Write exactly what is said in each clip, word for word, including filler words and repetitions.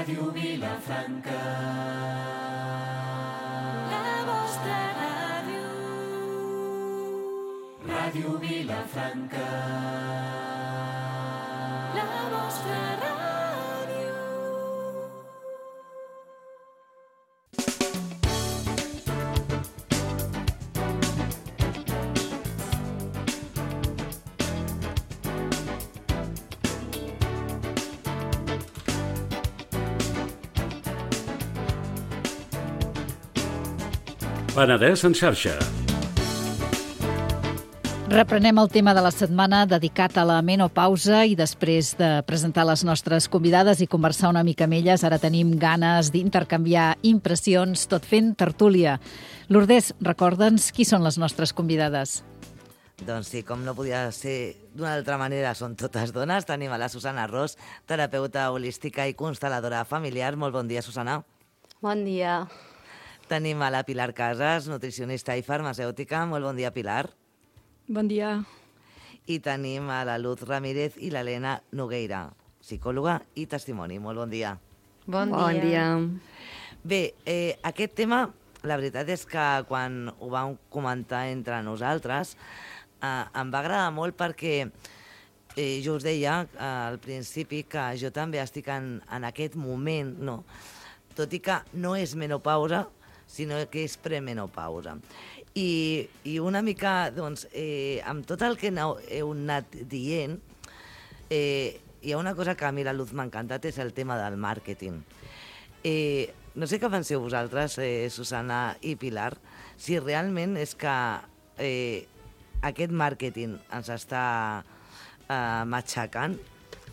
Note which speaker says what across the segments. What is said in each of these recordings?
Speaker 1: Ràdio Vilafranca, la vostra ràdio. Ràdio Vilafranca, la vostra ràdio.
Speaker 2: Penedès en xarxa.
Speaker 3: Reprenem el tema de la setmana dedicat a la menopausa i després de presentar les nostres convidades i conversar una mica amb elles, ara tenim ganes d'intercanviar impressions, tot fent tertúlia. Lourdes, recorda'ns qui són les nostres convidades.
Speaker 4: Doncs sí, com no podia ser d'una altra manera, són totes dones. Tenim a la Susana Ros, terapeuta holística i constel·ladora familiar. Molt bon dia, Susana.
Speaker 5: Bon dia.
Speaker 4: Tenim a la Pilar Casas, nutricionista i farmacèutica. Molt bon dia, Pilar.
Speaker 6: Bon dia.
Speaker 4: I tenim a la Luz Ramírez i l'Helena Nogueira, psicòloga i testimoni. Molt bon dia.
Speaker 5: Bon,
Speaker 6: bon dia.
Speaker 5: dia.
Speaker 4: Bé, eh, aquest tema, la veritat és que quan ho vam comentar entre nosaltres, eh, em va agradar molt perquè eh, jo us deia eh, al principi que jo també estic en, en aquest moment, no? Tot i que no és menopausa, sinó que és premenopausa. I, i una mica, doncs, eh, amb tot el que heu, heu anat dient, eh, hi ha una cosa que a mi la Luz m'ha encantat, és el tema del màrqueting. Eh, no sé què penseu vosaltres, eh, Susana i Pilar, si realment és que eh, aquest màrqueting ens està eh, matxacant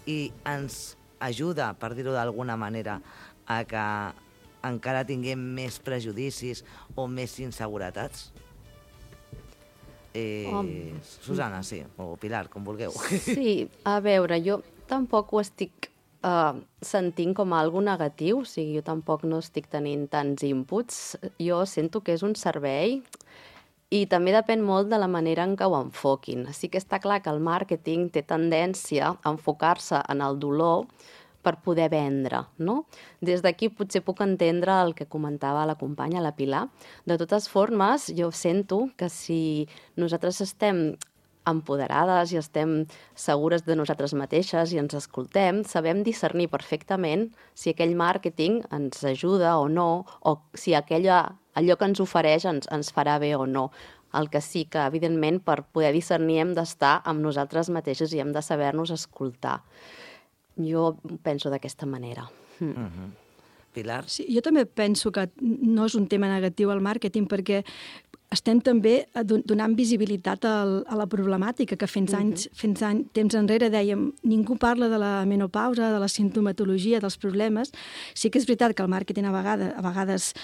Speaker 4: i ens ajuda, per dir-ho d'alguna manera, a que encara tinguem més prejudicis o més inseguretats? Eh,
Speaker 5: Um.
Speaker 4: Susana, sí, o Pilar, com vulgueu.
Speaker 5: Sí, a veure, jo tampoc ho estic uh, sentint com a algo negatiu, o sigui, jo tampoc no estic tenint tants inputs. Jo sento que és un servei i també depèn molt de la manera en què ho enfoquin. Sí que està clar que el màrqueting té tendència a enfocar-se en el dolor per poder vendre, no? Des d'aquí potser puc entendre el que comentava la companya, la Pilar. De totes formes, jo sento que si nosaltres estem empoderades i estem segures de nosaltres mateixes i ens escoltem, sabem discernir perfectament si aquell màrqueting ens ajuda o no, o si aquella, allò que ens ofereix ens, ens farà bé o no. El que sí que, evidentment, per poder discernir hem d'estar amb nosaltres mateixes i hem de saber-nos escoltar. Jo penso d'aquesta manera. Mm.
Speaker 4: Uh-huh. Pilar?
Speaker 6: Sí, jo també penso que no és un tema negatiu el màrqueting perquè estem també donant visibilitat al, a la problemàtica que fins anys, uh-huh. fins any, temps enrere dèiem ningú parla de la menopausa, de la sintomatologia, dels problemes. Sí que és veritat que el màrqueting a vegades, a vegades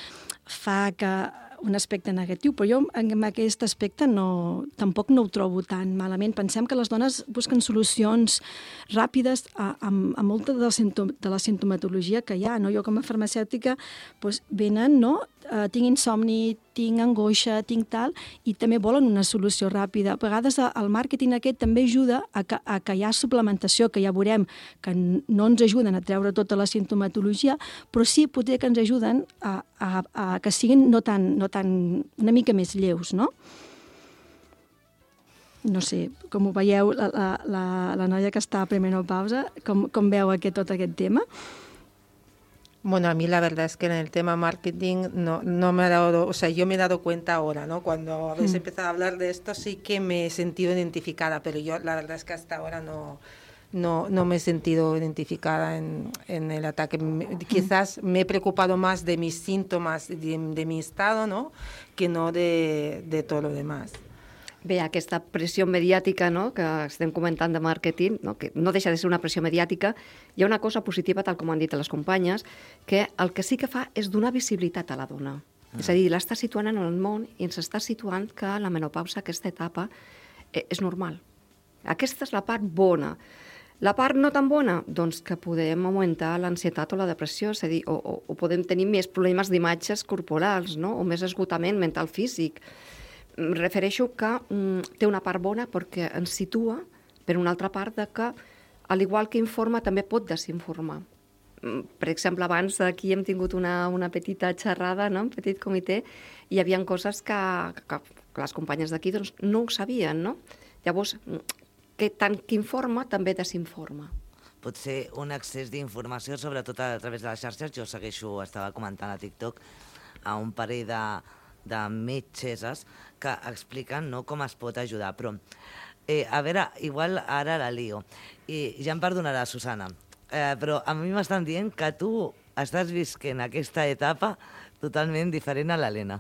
Speaker 6: fa que un aspecte negatiu, però jo en aquest aspecte no, tampoc no ho trobo tan malament. Pensem que les dones busquen solucions ràpides a, a, a molta de la, sintom, de la sintomatologia que hi ha. No? Jo com a farmacèutica doncs, venen, no? Uh, tinc insomni, tinc angoixa, tinc tal, i també volen una solució ràpida. A vegades el màrqueting aquest també ajuda a que, a que hi ha suplementació, que ja veurem que no ens ajuden a treure tota la sintomatologia, però sí potser que ens ajuden a, a, a que siguin no tan, no tan, una mica més lleus, no? No sé, com ho veieu, la, la, la, la noia que està a premenopausa, com, com veu aquest, tot aquest tema?
Speaker 7: Bueno, a mí la verdad es que en el tema marketing no, no me ha dado, o sea, yo me he dado cuenta ahora, ¿no? Cuando habéis empezado a hablar de esto sí que me he sentido identificada, pero yo la verdad es que hasta ahora no, no, no me he sentido identificada en, en el ataque. Quizás me he preocupado más de mis síntomas, de, de mi estado, ¿no? Que no de, de todo lo demás.
Speaker 8: Bé, aquesta pressió mediàtica, no?, que estem comentant de màrqueting, no?, que no deixa de ser una pressió mediàtica, hi ha una cosa positiva, tal com han dit les companyes, que el que sí que fa és donar visibilitat a la dona. Mm. És a dir, l'està situant en el món i ens està situant que la menopausa, aquesta etapa, eh, és normal. Aquesta és la part bona. La part no tan bona? Doncs que podem augmentar l'ansietat o la depressió, és a dir, o, o, o podem tenir més problemes d'imatges corporals, no?, o més esgotament mental físic. Refereixo que mm, té una part bona perquè ens situa, per una altra part, de que, al igual que informa, també pot desinformar. per exemple, abans aquí hem tingut una, una petita xerrada, no? Un petit comitè, i hi havia coses que, que, que les companyes d'aquí doncs, no ho sabien, no? Llavors, que tant que informa, també desinforma.
Speaker 4: Potser un excés d'informació, sobretot a través de les xarxes. Jo segueixo, estava comentant a TikTok, a un parell de, de metgesses que expliquen, no, com es pot ajudar. Però, eh, a veure, igual ara la lio, i ja em perdonarà, Susana, eh, però a mi m'estan dient que tu estàs visquent aquesta etapa totalment diferent a l'Helena.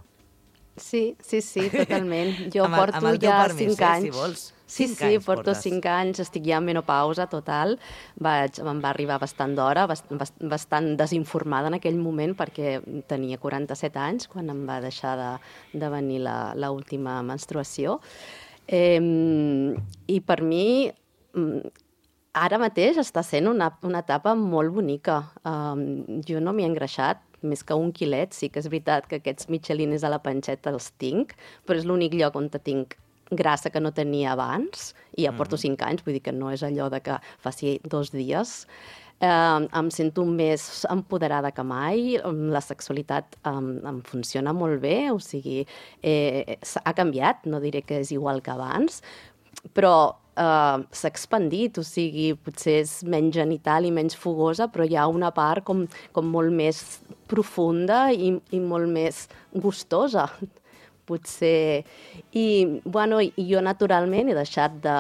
Speaker 5: Sí, sí, sí, totalment. Jo
Speaker 4: Amb el-
Speaker 5: porto
Speaker 4: amb el teu
Speaker 5: ja
Speaker 4: permís,
Speaker 5: cinc
Speaker 4: eh,
Speaker 5: anys.
Speaker 4: si vols.
Speaker 5: Sí,
Speaker 4: Cinc
Speaker 5: sí,
Speaker 4: anys
Speaker 5: porto
Speaker 4: portes.
Speaker 5: cinc anys, estic ja en menopausa total. Vaig, em va arribar bastant d'hora, bast, bast, bastant desinformada en aquell moment perquè tenia quaranta-set anys quan em va deixar de, de venir la, la última menstruació. Eh, I per mi, mm, ara mateix està sent una, una etapa molt bonica. Um, jo no m'hi he engreixat, més que un quilet. Sí que és veritat que aquests michelines a la panxeta els tinc, però és l'únic lloc on tinc grassa que no tenia abans, i ja porto cinc anys, vull dir que no és allò de que faci dos dies. Eh, em sento més empoderada que mai, la sexualitat em, em funciona molt bé, o sigui, eh, ha canviat, no diré que és igual que abans, però eh, s'ha expandit, o sigui, potser és menys genital i menys fogosa, però hi ha una part com, com molt més profunda i, i molt més gustosa, potser. I, bueno, jo naturalment he deixat de,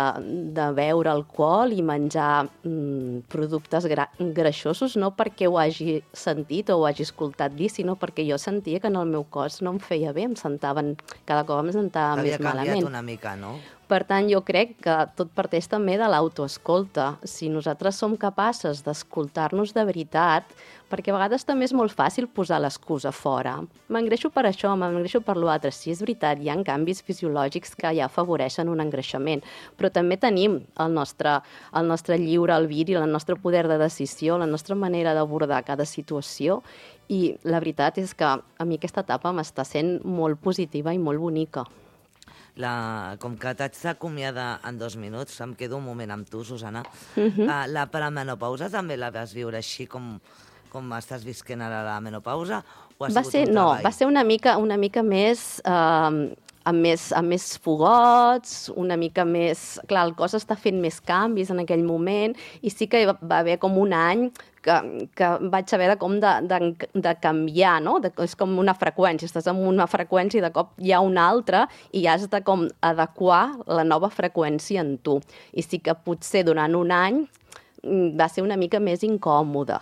Speaker 5: de beure alcohol i menjar mm, productes gra greixosos, no perquè ho hagi sentit o ho hagi escoltat dir, sinó perquè jo sentia que en el meu cos no em feia bé, em sentaven, cada cop em sentava
Speaker 4: Havia
Speaker 5: més malament.
Speaker 4: canviat una mica, no?
Speaker 5: Per tant, jo crec que tot parteix també de l'autoescolta. Si nosaltres som capaces d'escoltar-nos de veritat, perquè a vegades també és molt fàcil posar l'excusa fora. M'engreixo per això, m'engreixo per l'altre. Sí, és veritat, hi ha canvis fisiològics que ja afavoreixen un engreixament, però també tenim el nostre, el nostre lliure albir i el nostre poder de decisió, la nostra manera d'abordar cada situació, i la veritat és que a mi aquesta etapa m'està sent molt positiva i molt bonica.
Speaker 4: La, com que t'haig d'acomiadar en dos minuts, em quedo un moment amb tu, Susana.
Speaker 5: Uh -huh.
Speaker 4: uh, la premenopausa també la vas viure així com, com estàs visquent ara la menopausa? O ha
Speaker 5: Va
Speaker 4: sigut
Speaker 5: ser,
Speaker 4: un
Speaker 5: no,
Speaker 4: treball?
Speaker 5: va ser una mica, una mica més... Eh, amb més, amb més fogots, una mica més... Clar, el cos està fent més canvis en aquell moment, i sí que va haver com un any que, que vaig haver de, com de, de, de canviar, no? De, és com una freqüència, estàs en una freqüència i de cop hi ha una altra i has de com adequar la nova freqüència en tu. I sí que potser durant un any va ser una mica més incòmode.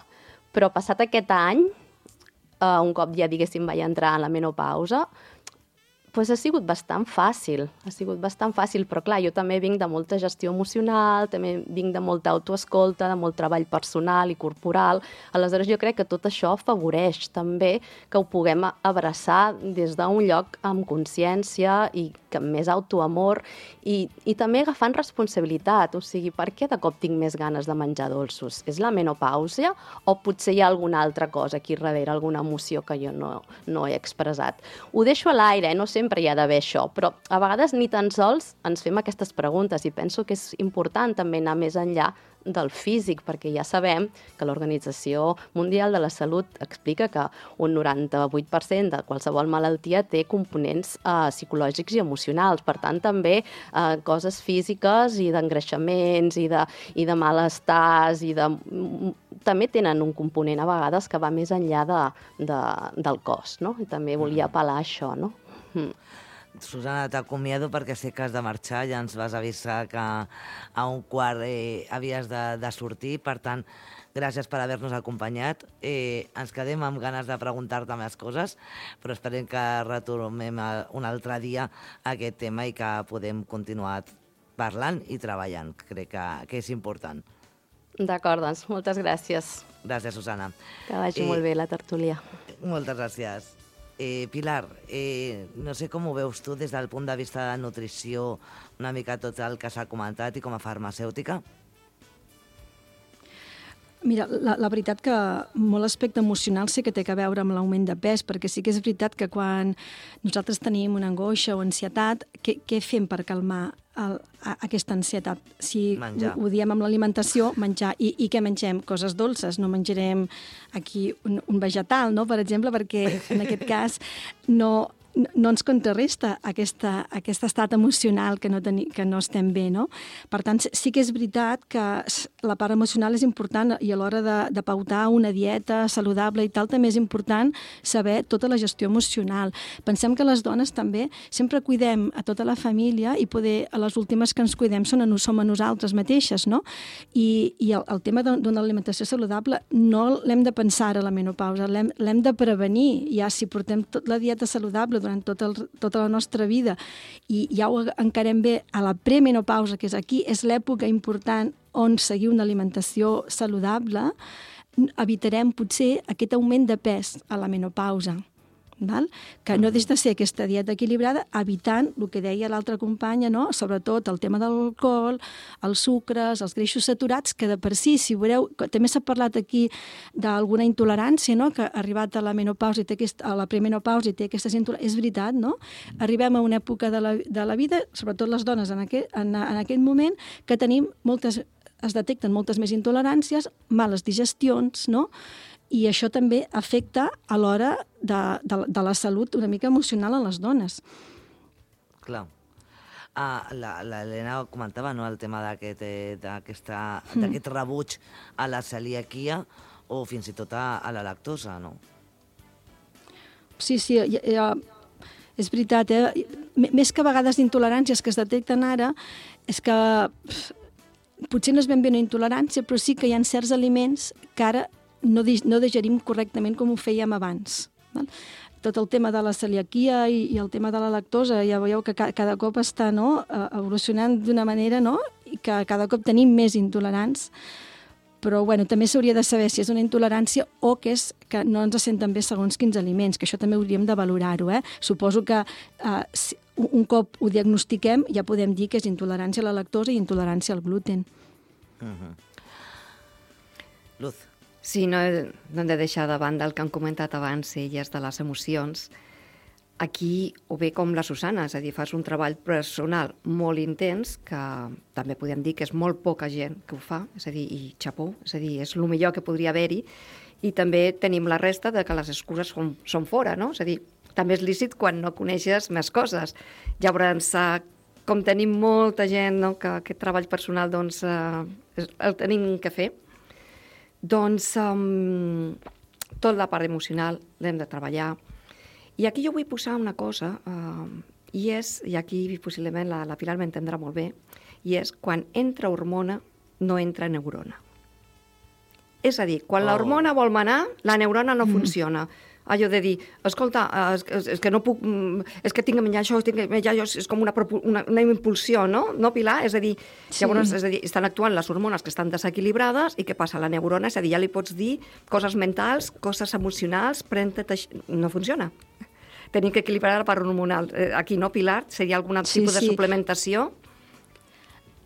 Speaker 5: Però passat aquest any, eh, un cop ja, diguéssim, vaig entrar en la menopausa, pues ha sigut bastant fàcil, ha sigut bastant fàcil, però clar, jo també vinc de molta gestió emocional, també vinc de molta autoescolta, de molt treball personal i corporal, aleshores jo crec que tot això afavoreix també que ho puguem abraçar des d'un lloc amb consciència i amb més autoamor i, i també agafant responsabilitat, o sigui, per què de cop tinc més ganes de menjar dolços? És la menopàusia o potser hi ha alguna altra cosa aquí darrere, alguna emoció que jo no, no he expressat? Ho deixo a l'aire, eh? No sé sempre hi ha d'haver això, però a vegades ni tan sols ens fem aquestes preguntes i penso que és important també anar més enllà del físic, perquè ja sabem que l'Organització Mundial de la Salut explica que un noranta-vuit per cent de qualsevol malaltia té components eh, psicològics i emocionals, per tant també eh, coses físiques i d'engreixaments i de, i de malestars i de... també tenen un component a vegades que va més enllà de, de, del cos, no? I també volia apel·lar a això, no? Mm.
Speaker 4: Susana, t'acomiado perquè sé que has de marxar, ja ens vas avisar que a un quart eh, havies de, de sortir, per tant, gràcies per haver-nos acompanyat. Eh, ens quedem amb ganes de preguntar-te més coses, però esperem que retornem un altre dia a aquest tema i que podem continuar parlant i treballant. Crec que, que és important.
Speaker 5: D'acord, doncs, moltes gràcies.
Speaker 4: Gràcies, Susana.
Speaker 5: Que vagi
Speaker 4: Eh,
Speaker 5: molt bé la tertúlia.
Speaker 4: Moltes gràcies. Eh, Pilar, eh, no sé com ho veus tu des del punt de vista de nutrició, una mica tot el que s'ha comentat i com a farmacèutica?
Speaker 6: Mira, la, la veritat que molt aspecte emocional sí que té a veure amb l'augment de pes, perquè sí que és veritat que quan nosaltres tenim una angoixa o ansietat, què, què fem per calmar el, a, aquesta ansietat. Si
Speaker 4: Menjar.
Speaker 6: ho, ho diem amb l'alimentació, menjar. I, I què mengem? Coses dolces. No menjarem aquí un, un vegetal, no?, per exemple, perquè en aquest cas no... no ens contrarresta aquesta, aquest estat emocional que no, teni, que no estem bé, no? Per tant, sí que és veritat que la part emocional és important i a l'hora de, de pautar una dieta saludable i tal, també és important saber tota la gestió emocional. Pensem que les dones també sempre cuidem a tota la família i poder, a les últimes que ens cuidem són a, som a nosaltres mateixes, no? I, i el, el tema d'una alimentació saludable no l'hem de pensar a la menopausa, l'hem de prevenir. Ja si portem tot la dieta saludable durant tot el, tota la nostra vida i ja ho encarem bé a la premenopausa, que és aquí, és l'època important on seguir una alimentació saludable, evitarem potser aquest augment de pes a la menopausa. Val? Que no deixa de ser aquesta dieta equilibrada, evitant el que deia l'altra companya, no? Sobretot el tema de l'alcohol, els sucres, els greixos saturats, que de per si, si veureu, també s'ha parlat aquí d'alguna intolerància, no?, que ha arribat a la menopausa i té aquest, a la premenopausa i té aquestes intoleràncies. És veritat, no? Arribem a una època de la, de la vida, sobretot les dones en aquest, en, en aquest moment, que tenim moltes, es detecten moltes més intoleràncies, males digestions, no?, i això també afecta a l'hora de, de, de la salut una mica emocional a les dones.
Speaker 4: Clar. Uh, L'Helena comentava, no?, el tema d'aquest eh, mm. rebuig a la celiaquia o fins i tot a, a la lactosa, no?
Speaker 6: Sí, sí, ja, ja, és veritat, eh? Més que a vegades d'intoleràncies que es detecten ara, és que pff, potser no és ben bé una intolerància, però sí que hi ha certs aliments que ara no, no digerim correctament com ho fèiem abans. Val? Tot el tema de la celiaquia i, i el tema de la lactosa, ja veieu que ca, cada cop està, no?, evolucionant d'una manera, no?, i que cada cop tenim més intolerants, però bueno, també s'hauria de saber si és una intolerància o que és que no ens senten bé segons quins aliments, que això també hauríem de valorar-ho. Eh? Suposo que eh, si, un cop ho diagnostiquem ja podem dir que és intolerància a la lactosa i intolerància al gluten.
Speaker 4: Uh-huh. Luz.
Speaker 8: Sí, no, no hem de deixar de banda el que han comentat abans elles de les emocions. Aquí ho ve com la Susana, és a dir, fas un treball personal molt intens, que també podem dir que és molt poca gent que ho fa, és a dir, i xapó, és a dir, és el millor que podria haver-hi, i també tenim la resta de que les excuses són, són fora, no? És a dir, també és lícit quan no coneixes més coses. Llavors, com tenim molta gent, no?, que aquest treball personal doncs, eh, el tenim que fer, doncs um, tot la part emocional l'hem de treballar. I aquí jo vull posar una cosa, uh, i és, i aquí possiblement la, la Pilar m'entendrà molt bé, i és quan entra hormona, no entra neurona. És a dir, quan oh. l'hormona vol manar, la neurona no mm. funciona. Allò de dir, escolta, és, és que no puc, és que tinc que menjar això, tinc que menjar allò, és com una, una, una impulsió, no? No, Pilar? És a dir, sí. Llavors, és a dir, estan actuant les hormones que estan desequilibrades i què passa? La neurona, és a dir, ja li pots dir coses mentals, coses emocionals, pren-te... No funciona. Tenim que equilibrar la part hormonal. Aquí, no, Pilar? Seria algun sí, tipus sí. de suplementació?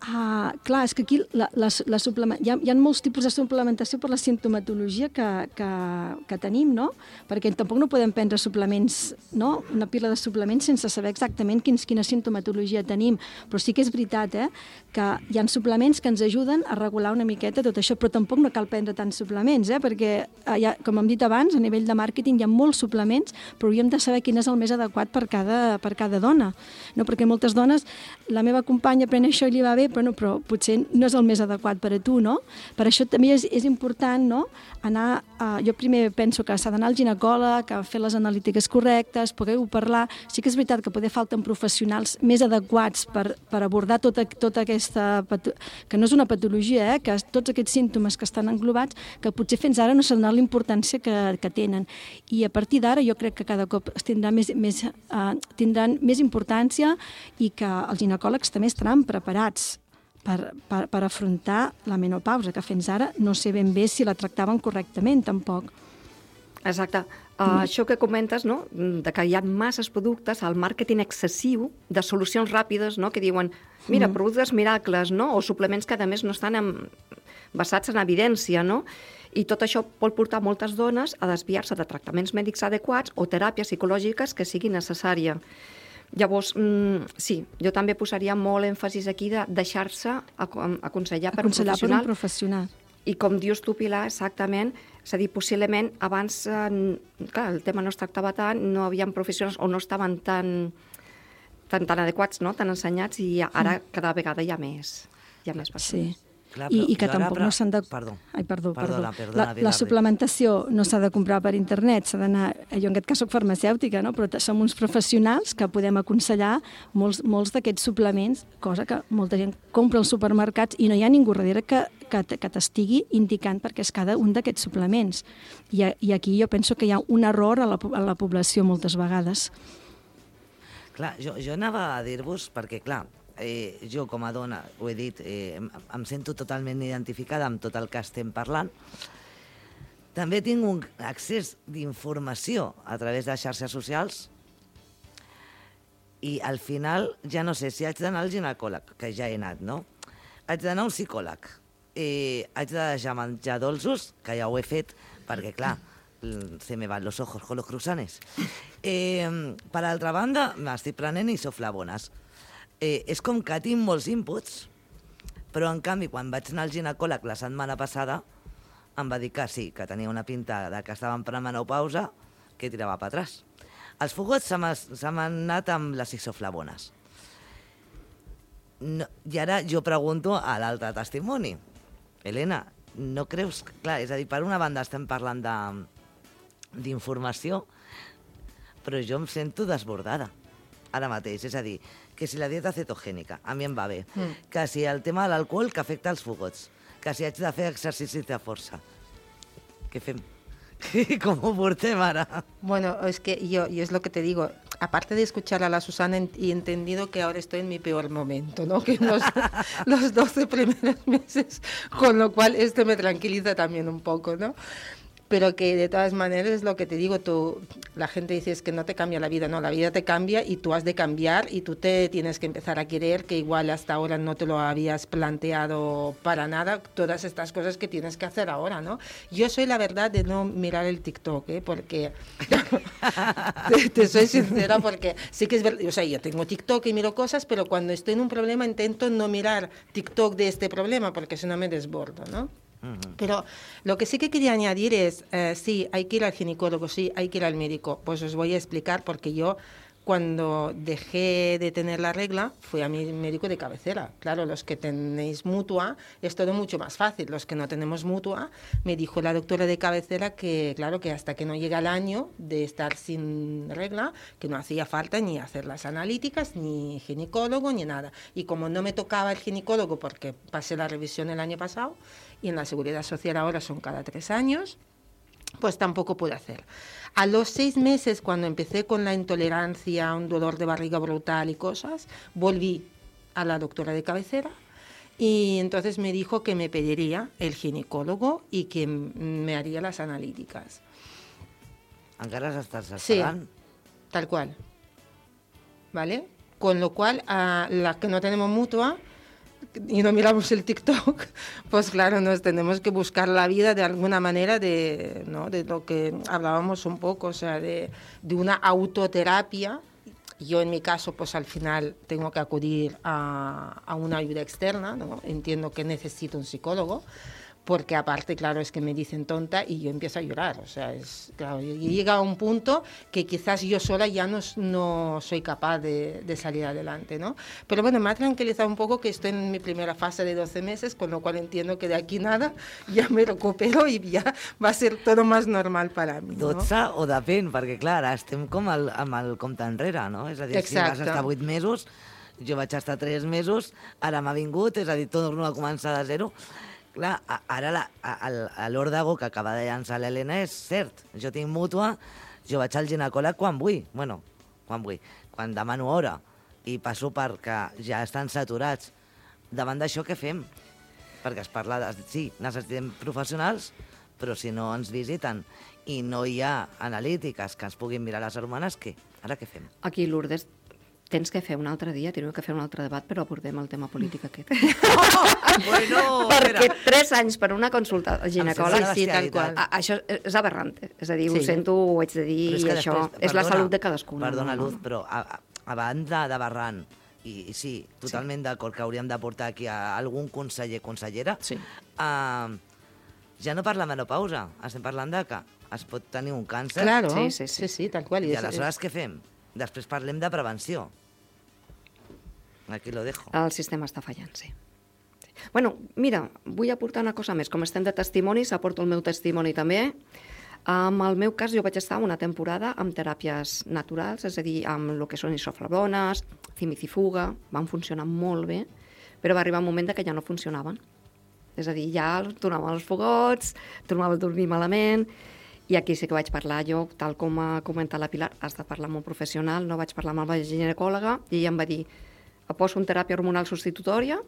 Speaker 6: Ah, clar, és que aquí la, la, la suplement... hi, ha, hi ha molts tipus de suplementació per la sintomatologia que, que, que tenim, no? Perquè tampoc no podem prendre suplements, no?, una pila de suplements sense saber exactament quins, quina sintomatologia tenim. Però sí que és veritat, eh?, que hi ha suplements que ens ajuden a regular una miqueta tot això, però tampoc no cal prendre tants suplements, eh?, perquè, hi ha, com hem dit abans, a nivell de màrqueting hi ha molts suplements, però hauríem de saber quin és el més adequat per cada, per cada dona, no? Perquè moltes dones, la meva companya pren això i li va bé, però, no, però potser no és el més adequat per a tu, no? Per això també és, és important, no?, anar... A, jo primer penso que s'ha d'anar al ginecòleg, a fer les analítiques correctes, poder-ho parlar. Sí que és veritat que poder falten professionals més adequats per, per abordar tota, tota aquesta... que no és una patologia, eh?, que tots aquests símptomes que estan englobats, que potser fins ara no s'ha donat la importància que, que tenen. I a partir d'ara jo crec que cada cop es tindrà més, més, uh, tindran més importància i que els ginecòlegs també estaran preparats Per, per, per afrontar la menopausa, que fins ara no sé ben bé si la tractaven correctament, tampoc.
Speaker 8: Exacte. Uh, mm. Això que comentes, no?, de que hi ha masses productes, el màrqueting excessiu de solucions ràpides, no?, que diuen, mira, mm. productes miracles, no?, o suplements que a més no estan en, basats en evidència, no?, i tot això pot portar moltes dones a desviar-se de tractaments mèdics adequats o teràpies psicològiques que siguin necessàries. Llavors, mm, sí, jo també posaria molt èmfasis aquí de deixar-se aconsellar per
Speaker 6: Aconsellar
Speaker 8: un
Speaker 6: per un
Speaker 8: professional.
Speaker 6: professional.
Speaker 8: I com dius tu, Pilar, exactament, és a dir, possiblement abans, eh, clar, el tema no es tractava tant, no hi havia professionals o no estaven tan, tan, tan adequats, no? Tan ensenyats, i ara mm. cada vegada hi ha més, hi ha més persones.
Speaker 6: Sí.
Speaker 4: Clar,
Speaker 6: I, i que
Speaker 4: jo ara,
Speaker 6: tampoc
Speaker 4: però-
Speaker 6: no s'han de...
Speaker 4: Perdó.
Speaker 6: Ai, perdó,
Speaker 4: Perdona,
Speaker 6: perdó.
Speaker 4: perdona,
Speaker 6: la,
Speaker 4: Pilar,
Speaker 6: la
Speaker 4: Pilar.
Speaker 6: suplementació no s'ha de comprar per internet, s'ha d'anar... Jo en aquest cas soc farmacèutica, no? Però t- som uns professionals que podem aconsellar molts, molts d'aquests suplements, cosa que molta gent compra als supermercats i no hi ha ningú darrere que, que, t- que t'estigui indicant perquè és cada un d'aquests suplements. I, a- I aquí jo penso que hi ha un error a la, po- a la població moltes vegades.
Speaker 4: Clar, jo, jo anava a dir-vos, perquè clar, eh, jo com a dona, ho he dit, eh, em, em sento totalment identificada amb tot el que estem parlant. També tinc un accés d'informació a través de xarxes socials i al final ja no sé si haig d'anar al ginecòleg, que ja he anat, no? Haig d'anar a un psicòleg. Eh, haig de deixar menjar dolços, que ja ho he fet, perquè clar, se me van los ojos con los cruzanes. Eh, per altra banda, m'estic prenent isoflavones. Eh, és com que tinc molts inputs, però en canvi, quan vaig anar al ginecòleg la setmana passada, em va dir que sí, que tenia una pinta de que estava en premenopausa, que tirava per atràs. Els fogots se m'ha- se m'han anat amb les isoflavones. No, I ara jo pregunto a l'altre testimoni. Helena, no creus... que- Clar, és a dir, per una banda estem parlant de d'informació, però jo em sento desbordada ara mateix. És a dir, que si la dieta cetogènica a mi em va bé, mm. que si el tema de l'alcohol que afecta els fogots, que si haig de fer exercicis de força. Què fem? ¿Cómo portem ara?
Speaker 7: Bueno, es que yo, yo es lo que te digo, aparte de escuchar a la Susana en- y entendido que ahora estoy en mi peor momento, ¿no? Que los, los doce primeros meses, con lo cual esto me tranquiliza también un poco, ¿no? Pero que de todas maneras es lo que te digo, tú, la gente dice es que no te cambia la vida, no, la vida te cambia y tú has de cambiar y tú te tienes que empezar a querer, que igual hasta ahora no te lo habías planteado para nada, todas estas cosas que tienes que hacer ahora, ¿no? Yo soy la verdad de no mirar el TikTok, ¿eh? Porque, te, te soy sincera, porque sí que es verdad, o sea, yo tengo TikTok y miro cosas, pero cuando estoy en un problema intento no mirar TikTok de este problema, porque si no me desbordo, ¿no? Pero lo que sí que quería añadir es, eh, sí, hay que ir al ginecólogo, sí, hay que ir al médico. Pues os voy a explicar porque yo cuando dejé de tener la regla fui a mi médico de cabecera. Claro, los que tenéis mutua es todo mucho más fácil. Los que no tenemos mutua, me dijo la doctora de cabecera que, claro, que hasta que no llega el año de estar sin regla, que no hacía falta ni hacer las analíticas, ni ginecólogo, ni nada. Y como no me tocaba el ginecólogo porque pasé la revisión el año pasado, y en la Seguridad Social ahora son cada tres años, pues tampoco pude hacer. A los seis meses, cuando empecé con la intolerancia, un dolor de barriga brutal y cosas, volví a la doctora de cabecera y entonces me dijo que me pediría el ginecólogo y que m- me haría las analíticas.
Speaker 4: Encara s'estàs
Speaker 7: Sí,
Speaker 4: esperant?
Speaker 7: tal cual. ¿Vale? Con lo cual, a las que no tenemos mutua y no miramos el TikTok, pues claro, nos tenemos que buscar la vida de alguna manera de, ¿no? de lo que hablábamos un poco, o sea, de, de una autoterapia. Yo en mi caso, pues al final tengo que acudir a, a una ayuda externa, ¿no? Entiendo que necesito un psicólogo, porque aparte, claro, es que me dicen tonta y yo empiezo a llorar. O sea, es, claro, y llega a un punto que quizás yo sola ya no, no soy capaz de, de salir adelante, ¿no? Pero bueno, me ha tranquilizado un poco que estoy en mi primera fase de doce meses, con lo cual entiendo que de aquí nada ya me recupero y ya va a ser todo más normal para mí, ¿no?
Speaker 4: dotze o depèn, perquè clar, ara estem com el, amb el compte enrere, no? És a dir,
Speaker 7: Exacte.
Speaker 4: si vas estar vuit mesos, jo vaig estar tres mesos, ara m'ha vingut, és a dir, torno a començar de zero. Clar, a- ara la- a- el- a l'òrdago que acaba de llançar l'Helena és cert. Jo tinc mútua, jo vaig al ginecòleg quan vull, bueno, quan vull, quan demano hora, i passo perquè ja estan saturats. Davant d'això, què fem? Perquè es parla de... Sí, necessitem professionals, però si no ens visiten i no hi ha analítiques que ens puguin mirar les hormones, què? Ara què fem?
Speaker 8: Aquí, Lourdes, tens que fer un altre dia, teniu que fer un altre debat, però abordem el tema polític aquest.
Speaker 4: Bueno,
Speaker 8: Perquè tres anys per una consulta al ginecòleg,
Speaker 4: sembla
Speaker 8: sí, tal
Speaker 4: bestialitat.
Speaker 8: qual. A- Això és aberrant. És a dir, ho
Speaker 7: Sí.
Speaker 8: sento, ho haig de dir,
Speaker 4: Però és
Speaker 8: i
Speaker 4: que
Speaker 8: això
Speaker 4: després,
Speaker 8: és la
Speaker 4: perdona,
Speaker 8: salut de cadascú. no?
Speaker 4: Perdona, Luz, però a, a, a banda de Barran, i, i sí, totalment sí. d'acord que hauríem de portar aquí a algun conseller, consellera,
Speaker 3: Sí.
Speaker 4: uh, ja no parla de menopausa, estem parlant de que es pot tenir un càncer.
Speaker 7: Claro,
Speaker 8: Sí,
Speaker 7: sí,
Speaker 8: sí,
Speaker 7: sí,
Speaker 8: sí.
Speaker 7: tal cual.
Speaker 4: I
Speaker 7: es-
Speaker 4: aleshores què fem? Després parlem de prevenció. Aquí lo dejo.
Speaker 8: El sistema està fallant, sí. sí. Bueno, mira, vull aportar una cosa més. Com estem de testimonis, aporto el meu testimoni també. En el meu cas, jo vaig estar una temporada amb teràpies naturals, és a dir, amb el que són isoflavones, cimicifuga, van funcionar molt bé, però va arribar un moment de que ja no funcionaven. És a dir, ja tornava als fogots, tornava a dormir malament, i aquí sí que vaig parlar jo, tal com ha comentat la Pilar, has de parlar amb un professional, no vaig parlar amb la ginecòloga, i ella em va dir, et poso una teràpia hormonal substitutòria,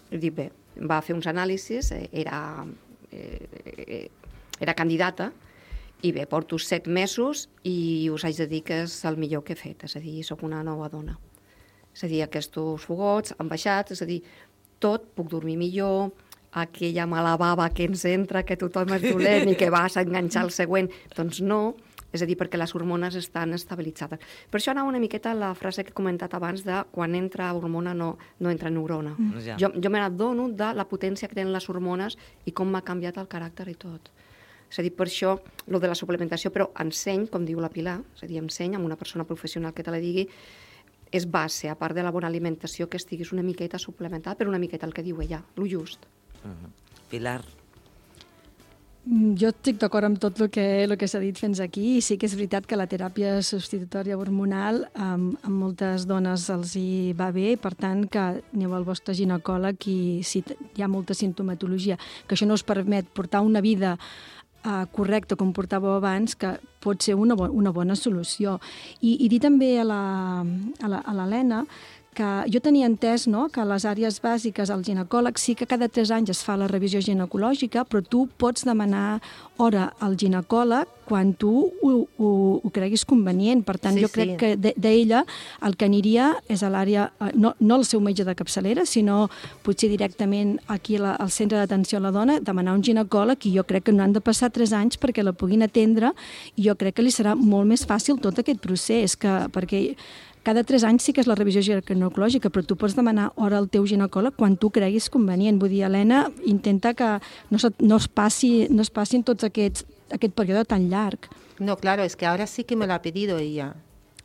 Speaker 8: i dic, bé, va fer uns anàlisis, eh, era, eh, era candidata, i bé, porto set mesos i us haig de dir que és el millor que he fet, és a dir, sóc una nova dona. És a dir, aquests fogots han baixat, és a dir, tot, puc dormir millor, aquella mala bava que ens entra, que tothom és dolent i que vas a enganxar el següent, doncs no, és a dir, perquè les hormones estan estabilitzades. Per això anava una miqueta a la frase que he comentat abans de quan entra hormona no, no entra neurona. Mm.
Speaker 4: Ja.
Speaker 8: Jo, jo me n'adono de la potència que tenen les hormones i com m'ha canviat el caràcter i tot. És a dir, per això, el de la suplementació, però enseny, com diu la Pilar, és a dir, enseny amb una persona professional que te la digui, és base, a part de la bona alimentació, que estiguis una miqueta suplementada, però una miqueta el que diu ella, lo just.
Speaker 4: Uh-huh. Pilar,
Speaker 6: Mm, Jo estic d'acord amb tot el que, el que s'ha dit fins aquí i sí que és veritat que la teràpia substitutòria hormonal amb, amb moltes dones els hi va bé i per tant que aneu al vostre ginecòleg i si t- hi ha molta sintomatologia, que això no us permet portar una vida uh, correcta com portàveu abans, que pot ser una, bo una bona solució. I, i dir també a la- a la- a l'Helena que jo tenia entès, no?, que a les àrees bàsiques al ginecòleg sí que cada tres anys es fa la revisió ginecològica, però tu pots demanar hora al ginecòleg quan tu ho, ho, ho creguis convenient. Per tant,
Speaker 7: Sí,
Speaker 6: jo crec
Speaker 7: sí.
Speaker 6: que de- d'ella el que aniria és a l'àrea, eh, no, no el seu metge de capçalera, sinó potser directament aquí a la, al centre d'atenció a la dona, demanar un ginecòleg, i jo crec que no han de passar tres anys perquè la puguin atendre, i jo crec que li serà molt més fàcil tot aquest procés, que, perquè cada tres anys sí que és la revisió ginecològica, però tu pots demanar hora al teu ginecòleg quan tu creguis convenient. Vull dir, Helena, intenta que no, se, no, es, passi, no es passin tots aquests, aquest període tan llarg.
Speaker 7: No, claro, es que ahora sí que me lo ha pedido ella,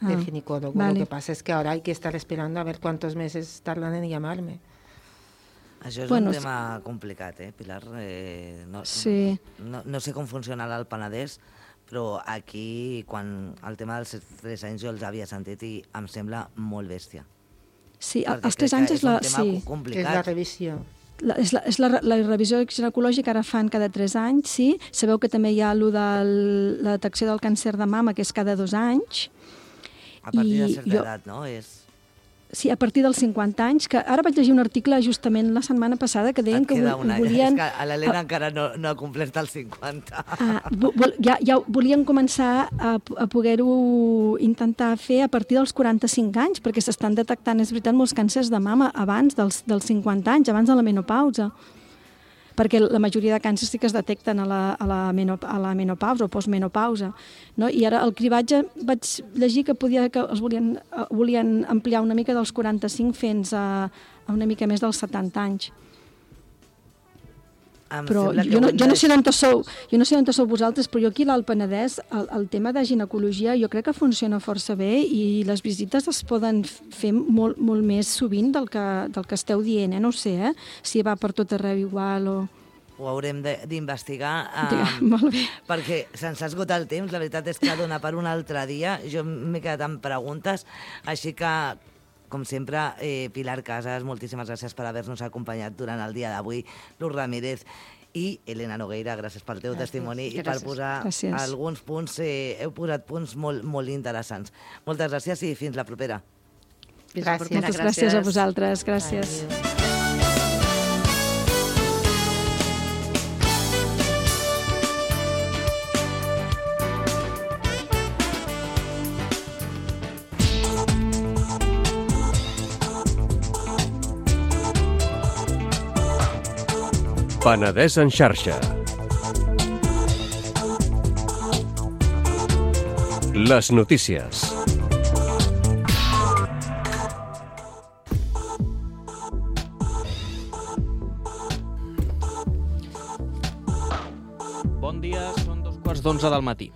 Speaker 6: Ah,
Speaker 7: el ginecólogo.
Speaker 6: vale.
Speaker 7: Lo que pasa es que ahora hay que estar esperando a ver cuántos meses tardan en llamarme.
Speaker 4: això és
Speaker 6: Bueno,
Speaker 4: un
Speaker 6: sí.
Speaker 4: tema complicat, eh, Pilar? Eh, no,
Speaker 6: Sí.
Speaker 4: no, no sé com funcionarà al Penedès, però aquí, quan el tema dels tres anys jo els havia sentit i em sembla molt bèstia.
Speaker 6: Sí,
Speaker 4: Perquè
Speaker 6: els tres
Speaker 4: crec
Speaker 6: anys
Speaker 4: que
Speaker 6: és la...
Speaker 4: un tema
Speaker 6: Sí.
Speaker 7: Que es la
Speaker 4: complicat.
Speaker 7: revisión.
Speaker 6: La, és la, és la, la revisió ginecològica ara fan cada tres anys, sí. Sabeu que també hi ha lo de la detecció del càncer de mama, que és cada dos anys.
Speaker 4: A partir de
Speaker 6: I
Speaker 4: certa
Speaker 6: jo-
Speaker 4: edat, no? És...
Speaker 6: Sí, a partir dels cinquanta anys, que ara vaig llegir un article justament la setmana passada que deien
Speaker 4: Et
Speaker 6: que
Speaker 4: queda
Speaker 6: vol-
Speaker 4: un any.
Speaker 6: volien...
Speaker 4: És que a l'Helena encara no, no ha complert els cinquanta.
Speaker 6: Ah, vo- vol, ja, ja volien començar a, a poder-ho intentar fer a partir dels quaranta-cinc anys, perquè s'estan detectant, és veritat, molts càncers de mama abans dels, dels cinquanta anys, abans de la menopausa. Perquè la majoria de càncers sí que es detecten a la, a la, menop a la menopausa o postmenopausa. No? I ara el cribatge vaig llegir que, podia, que els volien, eh, volien ampliar una mica dels quaranta-cinc fins a, a una mica més dels setanta anys.
Speaker 4: Em
Speaker 6: Però
Speaker 4: sembla que
Speaker 6: jo no,
Speaker 4: ho hem
Speaker 6: jo
Speaker 4: de
Speaker 6: no sé d'on sou, jo no sé d'on sou vosaltres, però jo aquí a l'Alt Penedès el, el tema de ginecologia jo crec que funciona força bé i les visites es poden fer molt, molt més sovint del que, del que esteu dient, eh? No ho sé, eh? Si va per tot arreu igual o...
Speaker 4: Ho haurem de- d'investigar.
Speaker 6: Ja,
Speaker 4: Um,
Speaker 6: molt bé.
Speaker 4: perquè se'ns ha esgotat el temps, la veritat és que dona per un altre dia. Jo m'he quedat amb preguntes, així que, com sempre, eh, Pilar Casas, moltíssimes gràcies per haver-nos acompanyat durant el dia d'avui, Luz Ramírez i Helena Nogueira, gràcies pel teu
Speaker 7: Gràcies.
Speaker 4: testimoni i per
Speaker 8: Gràcies.
Speaker 4: posar
Speaker 6: Gràcies.
Speaker 4: alguns punts, eh, heu posat punts molt, molt interessants. Moltes gràcies i fins la propera.
Speaker 8: Fins la
Speaker 7: Gràcies.
Speaker 8: propera,
Speaker 6: Moltes gràcies a vosaltres, gràcies.
Speaker 7: Adiós.
Speaker 9: Penedès en xarxa. Les notícies. d'onze del matí.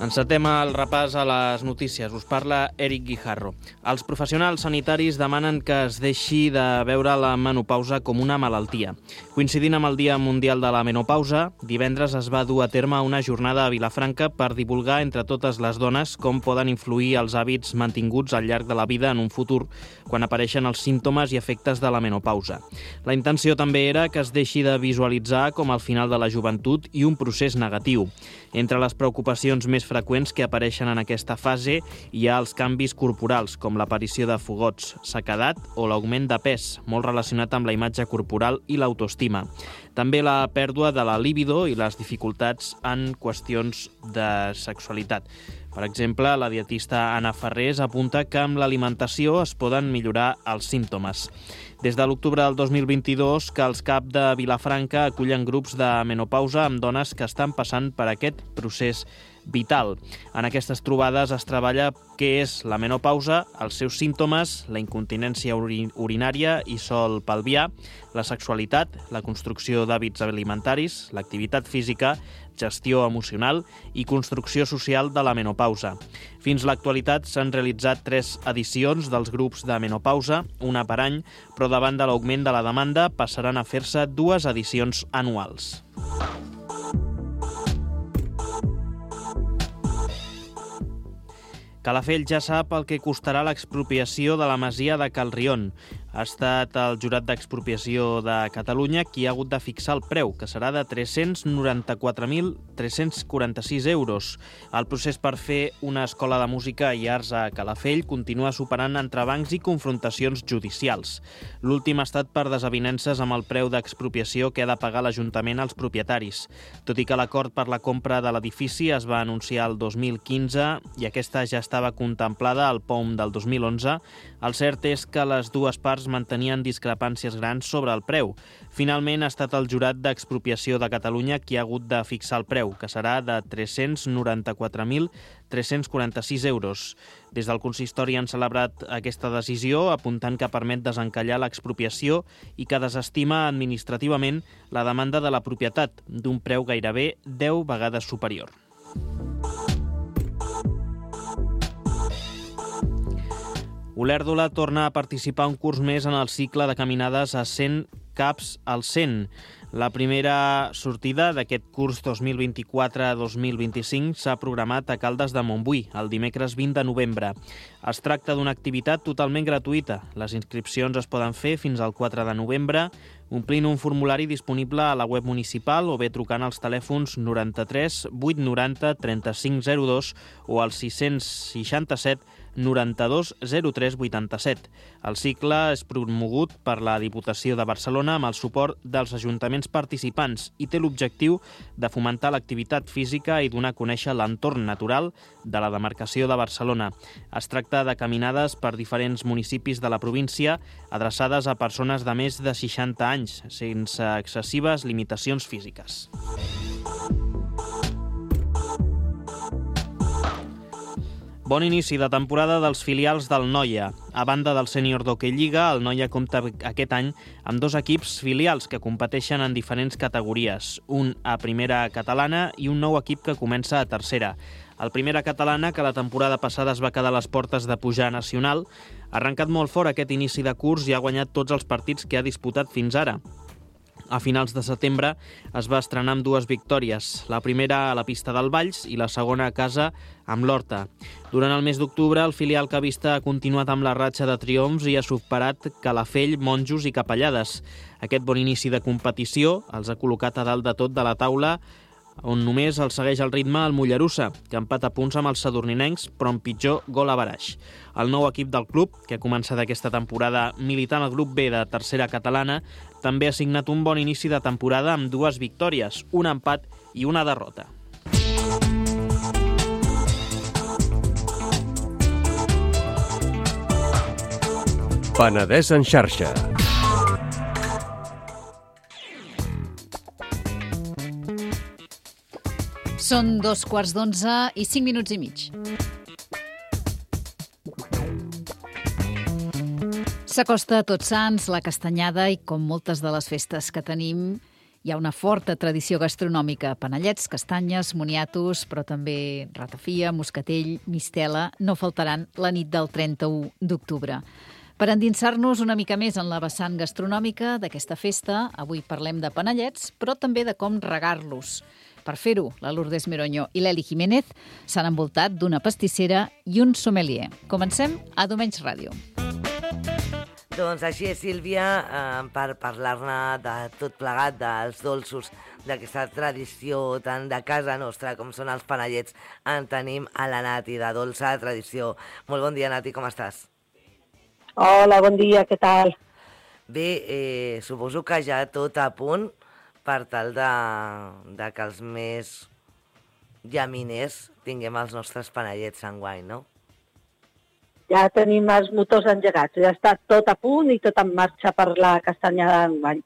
Speaker 9: Encetem el repàs a les notícies. Us parla Eric Guijarro. Els professionals sanitaris demanen que es deixi de veure la menopausa com una malaltia. Coincidint amb el Dia Mundial de la Menopausa, divendres es va dur a terme una jornada a Vilafranca per divulgar entre totes les dones com poden influir els hàbits mantinguts al llarg de la vida en un futur quan apareixen els símptomes i efectes de la menopausa. La intenció també era que es deixi de visualitzar com el final de la joventut i un procés negatiu. Entre les preocupacions més freqüents que apareixen en aquesta fase hi ha els canvis corporals, com l'aparició de fogots, sequedat o l'augment de pes, molt relacionat amb la imatge corporal i l'autoestima. També la pèrdua de la libido i les dificultats en qüestions de sexualitat. Per exemple, la dietista Anna Ferrés apunta que amb l'alimentació es poden millorar els símptomes. Des de l'octubre del dos mil vint-i-dos, que els C A P de Vilafranca acullen grups de menopausa amb dones que estan passant per aquest procés vital. En aquestes trobades es treballa què és la menopausa, els seus símptomes, la incontinència uri- urinària i sol pelvià, la sexualitat, la construcció d'hàbits alimentaris, l'activitat física, gestió emocional i construcció social de la menopausa. Fins l'actualitat s'han realitzat tres edicions dels grups de menopausa, una per any, però davant de l'augment de la demanda passaran a fer-se dues edicions anuals. Calafell ja sap el que costarà l'expropiació de la masia de Cal Rion. Ha estat el Jurat d'Expropiació de Catalunya qui ha hagut de fixar el preu, que serà de tres-cents noranta-quatre mil tres-cents quaranta-sis euros. El procés per fer una escola de música i arts a Calafell continua superant entrebancs i confrontacions judicials. L'últim ha estat per desavinences amb el preu d'expropiació que ha de pagar l'Ajuntament als propietaris. Tot i que l'acord per la compra de l'edifici es va anunciar el dos mil quinze i aquesta ja estava contemplada al P O M del dos mil onze, el cert és que les dues parts mantenien discrepàncies grans sobre el preu. Finalment ha estat el Jurat d'Expropiació de Catalunya qui ha hagut de fixar el preu, que serà de tres-cents noranta-quatre mil tres-cents quaranta-sis euros. Des del consistori han celebrat aquesta decisió, apuntant que permet desencallar l'expropiació i que desestima administrativament la demanda de la propietat, d'un preu gairebé deu vegades superior. Olèrdola torna a participar un curs més en el cicle de caminades a cent caps al cent. La primera sortida d'aquest curs dos mil vint-i-quatre dos mil vint-i-cinc s'ha programat a Caldes de Montbui, el dimecres vint de novembre. Es tracta d'una activitat totalment gratuïta. Les inscripcions es poden fer fins al quatre de novembre, omplint un formulari disponible a la web municipal o bé trucant als telèfons noranta-tres vuit noranta trenta-cinc zero dos o al sis-cents seixanta-set noranta-dos zero tres vuitanta-set. El cicle és promogut per la Diputació de Barcelona amb el suport dels ajuntaments participants i té l'objectiu de fomentar l'activitat física i donar a conèixer l'entorn natural de la demarcació de Barcelona. Es tracta de caminades per diferents municipis de la província adreçades a persones de més de seixanta anys, sense excessives limitacions físiques. Bon inici de temporada dels filials del Noia. A banda del sènior d'Hockey Lliga, el Noia compta aquest any amb dos equips filials que competeixen en diferents categories, un a primera catalana i un nou equip que comença a tercera. El primera catalana, que la temporada passada es va quedar a les portes de pujar a nacional, ha arrencat molt fort aquest inici de curs i ha guanyat tots els partits que ha disputat fins ara. A finals de setembre es va estrenar amb dues victòries, la primera a la pista del Valls i la segona a casa amb l'Horta. Durant el mes d'octubre, el filial cavista ha continuat amb la ratxa de triomfs i ha superat Calafell, Monjos i Capellades. Aquest bon inici de competició els ha col·locat a dalt de tot de la taula, on només el segueix el ritme el Mollerussa, que empata punts amb els sadurninencs, però amb pitjor gol a baraix. El nou equip del club, que ha començat aquesta temporada militant al grup B de tercera catalana, també ha signat un bon inici de temporada amb dues victòries, un empat i una derrota.
Speaker 10: Penedès en xarxa.
Speaker 3: Són dos quarts d'onze i cinc minuts i mig. S'acosta a Tots Sants, la Castanyada, i com moltes de les festes que tenim, Hi ha una forta tradició gastronòmica, panellets, castanyes, moniatos, però també ratafia, moscatell, mistela, no faltaran la nit del trenta-u d'octubre. Per endinsar-nos una mica més en la vessant gastronòmica d'aquesta festa, avui parlem de panellets, però també de com regar-los. Per fer-ho, la Lourdes Meroño i l'Eli Jiménez s'han envoltat d'una pastissera i un sommelier. Comencem a Domenys Ràdio.
Speaker 4: Doncs així és, Sílvia, eh, per parlar-ne de tot plegat, dels dolços, d'aquesta tradició tant de casa nostra com són els panellets, en tenim a la Nati, de Dolça Tradició. Molt bon dia, Nati, com estàs?
Speaker 11: Hola, bon dia, què tal?
Speaker 4: Bé, eh, suposo que ja tot a punt per tal de, de que els més llaminers tinguem els nostres panellets enguany, no?
Speaker 11: Ja tenim els motors engegats, ja està tot a punt i tot en marxa per la castanyada d'enguany.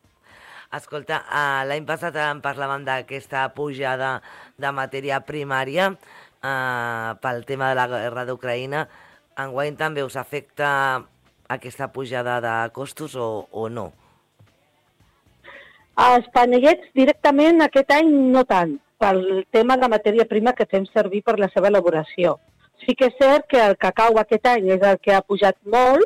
Speaker 4: Escolta, eh, l'any passat en parlàvem d'aquesta pujada de matèria primària eh, pel tema de la guerra d'Ucraïna. Enguany també us afecta aquesta pujada de costos o, o no?
Speaker 11: Els panellets directament aquest any no tant, pel tema de matèria prima que fem servir per la seva elaboració. Sí que és cert que el cacau aquest any és el que ha pujat molt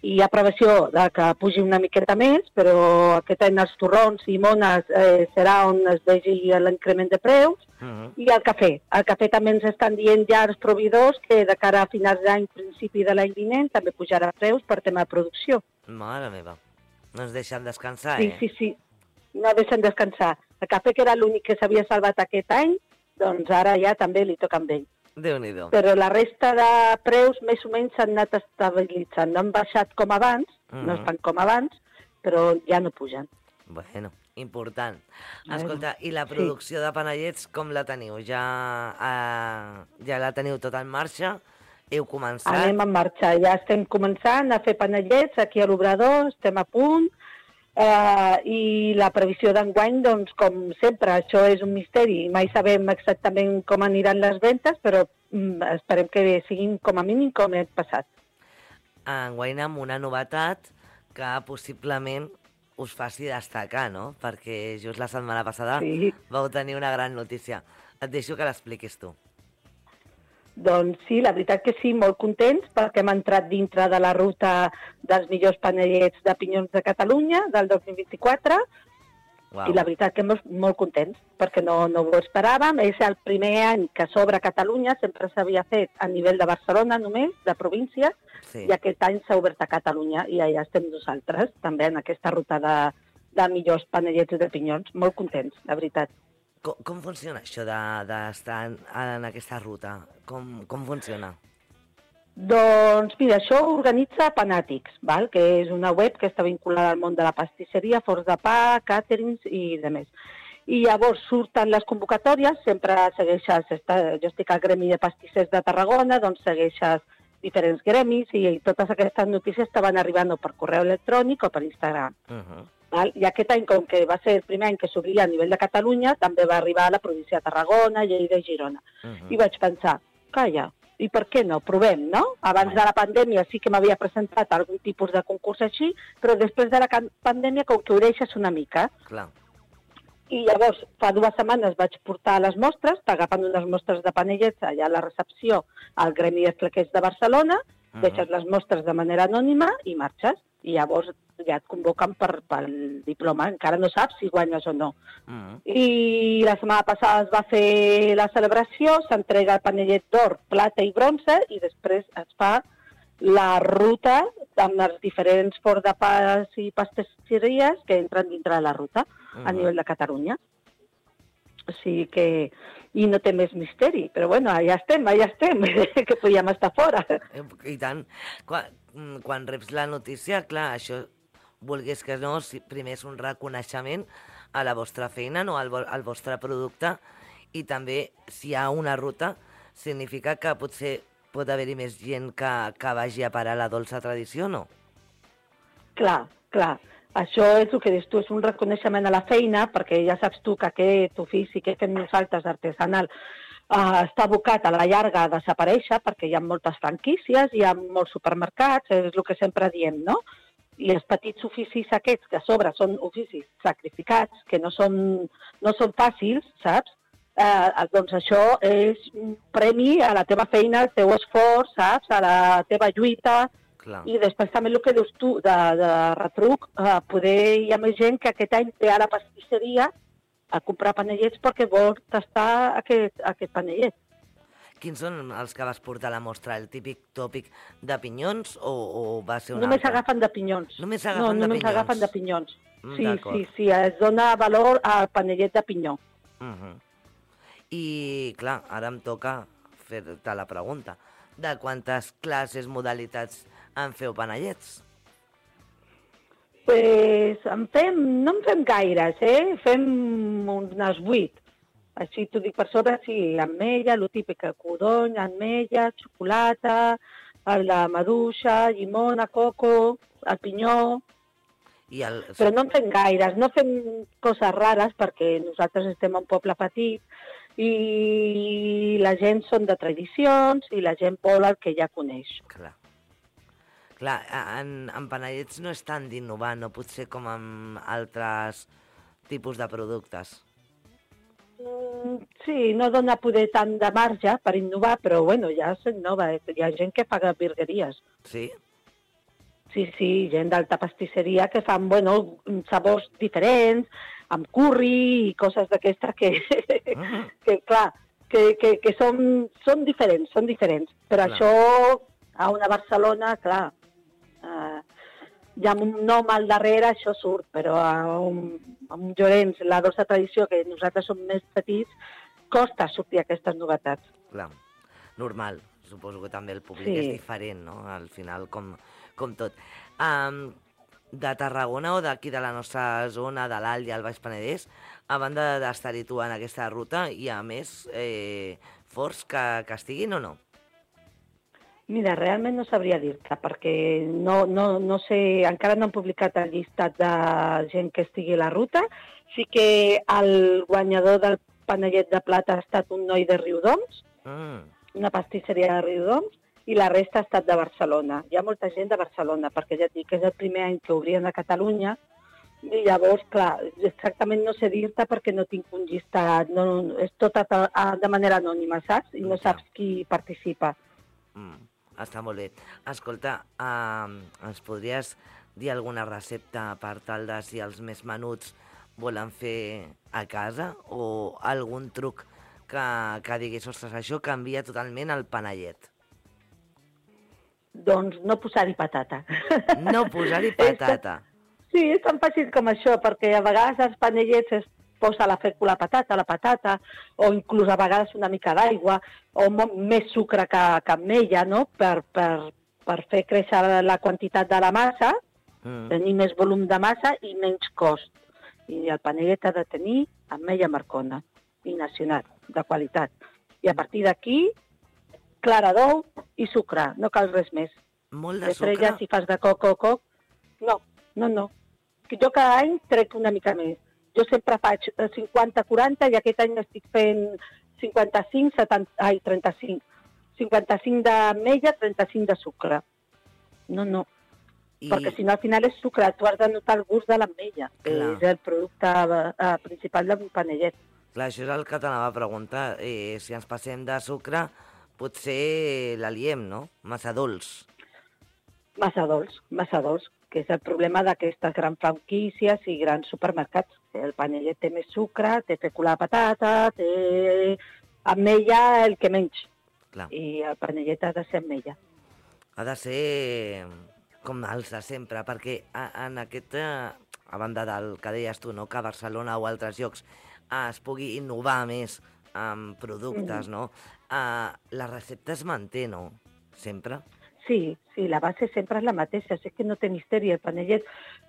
Speaker 11: i hi ha previsió de que pugi una miqueta més, però aquest any els torrons i mones eh, serà on es vegi l'increment de preus. Uh-huh. I el cafè. El cafè també ens estan dient ja els proveïdors que de cara a finals d'any, principi de l'any vinent, també pujarà preus per tema de producció.
Speaker 4: Mare meva, no ens deixen descansar,
Speaker 11: sí,
Speaker 4: eh?
Speaker 11: Sí, sí, no deixen descansar. El cafè, que era l'únic que s'havia salvat aquest any, doncs ara ja també li toca amb ell.
Speaker 4: Déu-n'hi-do.
Speaker 11: Però la resta de preus més o menys s'han anat estabilitzant. No han baixat com abans, uh-huh. no estan com abans, però ja no pugen.
Speaker 4: Bueno, important. Escolta, i la producció sí. de panellets com la teniu? Ja, eh, ja la teniu tot en marxa? Heu començat?
Speaker 11: Anem en marxa, ja estem començant a fer panellets aquí a l'Obrador, estem a punt, eh, i la previsió d'enguany, doncs, com sempre, això és un misteri. Mai sabem exactament com aniran les ventes, però mm, esperem que siguin com a mínim com l'any passat.
Speaker 4: Enguany amb una novetat que possiblement us faci destacar, no? Perquè just la setmana passada sí. vau tenir una gran notícia. Et deixo que l'expliquis tu.
Speaker 11: Doncs sí, la veritat que sí, molt contents, perquè hem entrat dintre de la ruta dels millors panellets de pinyons de Catalunya del dos mil vint-i-quatre, wow. I la veritat que molt, molt contents, perquè no, no ho esperàvem. És el primer any que s'obre Catalunya, sempre s'havia fet a nivell de Barcelona només, de província, sí. I aquest any s'ha obert a Catalunya, i allà estem nosaltres, també en aquesta ruta de, de millors panellets de pinyons. Molt contents, la veritat.
Speaker 4: Com, com funciona això d'estar de, en, en aquesta ruta? Com, com funciona?
Speaker 11: Doncs mira, això ho organitza Panàtics, val? Que és una web que està vinculada al món de la pastisseria, forns de pa, càterings i demés. I llavors surten les convocatòries, sempre segueixes, jo estic al gremi de pastissers de Tarragona, doncs segueixes diferents gremis i totes aquestes notícies estaven arribant o per correu electrònic o per Instagram. Uh-huh. Val? I aquest any, com que va ser el primer any que s'obria a nivell de Catalunya, també va arribar a la província de Tarragona, Lleida i Girona. Uh-huh. I vaig pensar, calla, i per què no? Provem, no? Abans de la pandèmia sí que m'havia presentat algun tipus de concurs així, però després de la pandèmia, com que ho deixes una mica.
Speaker 4: Clar.
Speaker 11: I llavors, fa dues setmanes vaig portar les mostres, agafant unes mostres de panellets allà a la recepció al Gremi de Flequers de Barcelona, uh-huh. Deixes les mostres de manera anònima i marxes. I llavors ja et convoquen per, pel diploma, encara no saps si guanyes o no. Uh-huh. I la setmana passada es va fer la celebració, s'entrega el panellet d'or, plata i bronze, i després es fa la ruta amb els diferents forns de pas i pastisseries que entren dintre de la ruta uh-huh. a nivell de Catalunya. O sigui que... I no té més misteri, però bueno, allà estem, allà estem, que podíem estar fora.
Speaker 4: I tant. Quan, quan reps la notícia, clar, això, volgués que no, si primer és un reconeixement a la vostra feina, no, al, al vostre producte, i també, si hi ha una ruta, significa que potser pot haver-hi més gent que, que vagi a parar la dolça tradició, no?
Speaker 11: Clar, clar. Això és el que dius tu, és un reconeixement a la feina, perquè ja saps tu que aquest ofici que fem nosaltres artesanal uh, està abocat a la llarga a desaparèixer, perquè hi ha moltes franquícies, hi ha molts supermercats, és el que sempre diem, no? i els petits oficis aquests, que a sobre són oficis sacrificats, que no són, no són fàcils, saps? Eh, doncs això és un premi a la teva feina, al teu esforç, saps? A la teva lluita.
Speaker 4: Clar.
Speaker 11: I després també el que dius tu, de, de retruc, eh, poder hi ha més gent que aquest any ve a la pastisseria a comprar panellets perquè vol tastar aquest, aquest panellet.
Speaker 4: Quins són els que vas portar a la mostra? El típic tòpic de pinyons o, o va ser un
Speaker 11: Només
Speaker 4: altre?
Speaker 11: agafen de pinyons.
Speaker 4: Només agafen
Speaker 11: no,
Speaker 4: de
Speaker 11: només
Speaker 4: pinyons?
Speaker 11: agafen de pinyons.
Speaker 4: Mm,
Speaker 11: sí,
Speaker 4: d'acord.
Speaker 11: sí, sí, es dona valor al panellet de pinyó.
Speaker 4: Uh -huh. I, clar, ara em toca fer-te la pregunta. De quantes classes, modalitats en feu panellets?
Speaker 11: Pues en fem, no en fem gaires, eh? Fem unes vuit. Així t'ho dic per sobre, sí, ametlla, el típic, codony, ametlla, xocolata, la maduixa, llimona, coco, el pinyó...
Speaker 4: I el...
Speaker 11: Però no en fem gaires, no fem coses rares perquè nosaltres estem a un poble petit i la gent són de tradicions i la gent vol el que ja coneix.
Speaker 4: Clar. Clar, en, en panellets no és tant d'innovar, no pot ser com en altres tipus de productes.
Speaker 11: Mm, sí, no dona poder tant de marge per innovar, però bueno, ja s'innova. Hi ha gent que fa virgueries.
Speaker 4: Sí?
Speaker 11: Sí, sí, gent d'alta pastisseria que fan, bueno, sabors diferents, amb curri i coses d'aquestes que,
Speaker 4: Ah.
Speaker 11: que, clar, que, que, que són, són diferents, són diferents. Però
Speaker 4: Clar.
Speaker 11: això, a una Barcelona, clar, eh, ja amb un nom al darrere això surt, però a un, a un Llorenç, la dolça tradició, que nosaltres som més petits, costa sortir aquestes novetats.
Speaker 4: Clar, normal. Suposo que també el públic
Speaker 11: Sí.
Speaker 4: és diferent, no? Al final, com, com tot. Um, de Tarragona o d'aquí de la nostra zona, de l'Alt i el Baix Penedès, a banda d'estar-hi tu en aquesta ruta, hi ha més eh, forts que, que estiguin o no?
Speaker 11: Mira, realment no sabria dir-te, perquè no, no, no sé, encara no han publicat el llistat de gent que estigui a la ruta. Sí que el guanyador del panellet de plata ha estat un noi de Riudoms,
Speaker 4: Mm.
Speaker 11: una pastisseria de Riudoms, i la resta ha estat de Barcelona. Hi ha molta gent de Barcelona, perquè ja et dic que és el primer any que obrien a Catalunya, i llavors, clar, exactament no sé dir-te perquè no tinc un llistat, no, és tot a, a, de manera anònima, saps? I no
Speaker 4: Ja.
Speaker 11: saps qui participa.
Speaker 4: Mm. Està molt bé. Escolta, uh, ens podries dir alguna recepta per tal de si els més menuts volen fer a casa o algun truc que, que diguis, ostres, això canvia totalment el panellet?
Speaker 11: Doncs no posar-hi patata.
Speaker 4: No posar-hi patata.
Speaker 11: Sí, és tan fàcil com això, perquè a vegades als panellets es posa la fècula patata, la patata, o inclús a vegades una mica d'aigua, o mo- més sucre que, que ametlla, no?, per, per, per fer créixer la quantitat de la massa,
Speaker 4: Mm.
Speaker 11: tenir més volum de massa i menys cost. I el panellet ha de tenir ametlla marcona i nacional, de qualitat. I a partir d'aquí, clara d'ou i sucre, no cal res més.
Speaker 4: Molt de
Speaker 11: Després
Speaker 4: sucre?
Speaker 11: ja si fas de coc, coc, coc, no, no, no. Que jo cada any trec una mica més. Jo sempre faig cinquanta quaranta i aquest any estic fent cinquanta-cinc, setanta, ai, trenta-cinc. cinquanta-cinc d'ametlla, trenta-cinc de sucre. No, no.
Speaker 4: I...
Speaker 11: Perquè si no al final és sucre, tu has de notar el gust de l'ametlla, que
Speaker 4: Clar.
Speaker 11: és el producte eh, principal d'un panellet.
Speaker 4: Clar, això és el que t'anava a preguntar. Eh, si ens passem de sucre, potser l'aliem, no? Massa dolç.
Speaker 11: Massa dolç, massa dolç, que és el problema d'aquestes grans franquícies i grans supermercats. El panellet té més sucre, té fècula de patata, té ametlla el que menys.
Speaker 4: Clar.
Speaker 11: I el panellet ha de ser ametlla.
Speaker 4: Ha de ser com els de sempre, perquè a- en aquesta, a banda del que deies tu, no? Que a Barcelona o altres llocs es pugui innovar més amb productes,
Speaker 11: Mhm.
Speaker 4: no? Uh, la recepta es manté, no? Sempre?
Speaker 11: Sí, sí, la base sempre és la mateixa, és que no té misteri el panellet.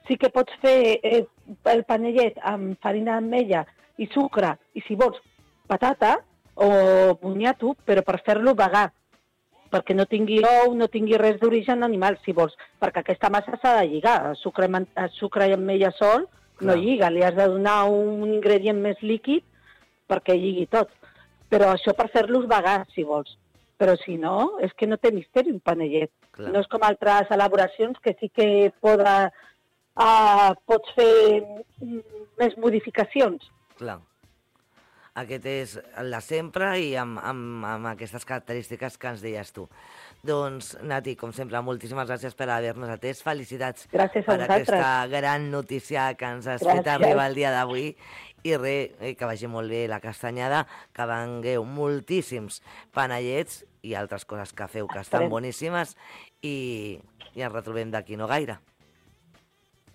Speaker 11: Sí que pots fer eh, el panellet amb farina d'ametlla i sucre, i si vols patata o boniato, però per fer-lo vegà, perquè no tingui ou, no tingui res d'origen animal, si vols, perquè aquesta massa s'ha de lligar. El sucre, i man- el sucre i ametlla sol no
Speaker 4: Clar.
Speaker 11: lliga, li has de donar un ingredient més líquid perquè lligui tot. Però això per fer-los vegà, si vols. però si no, és que no té misteri un panellet.
Speaker 4: Clar.
Speaker 11: No és com altres elaboracions que sí que poda, uh, pots fer més modificacions.
Speaker 4: Clar. Aquest és el de sempre i amb, amb, amb aquestes característiques que ens deies tu. Doncs, Nati, com sempre, moltíssimes gràcies per haver-nos atès. Felicitats
Speaker 11: gràcies
Speaker 4: per
Speaker 11: vosaltres.
Speaker 4: aquesta gran notícia que ens has
Speaker 11: gràcies.
Speaker 4: fet arribar el dia d'avui. I res, que vagi molt bé la castanyada, que vengueu moltíssims panellets i altres coses que feu que estan boníssimes i, i ens retrobem d'aquí no gaire.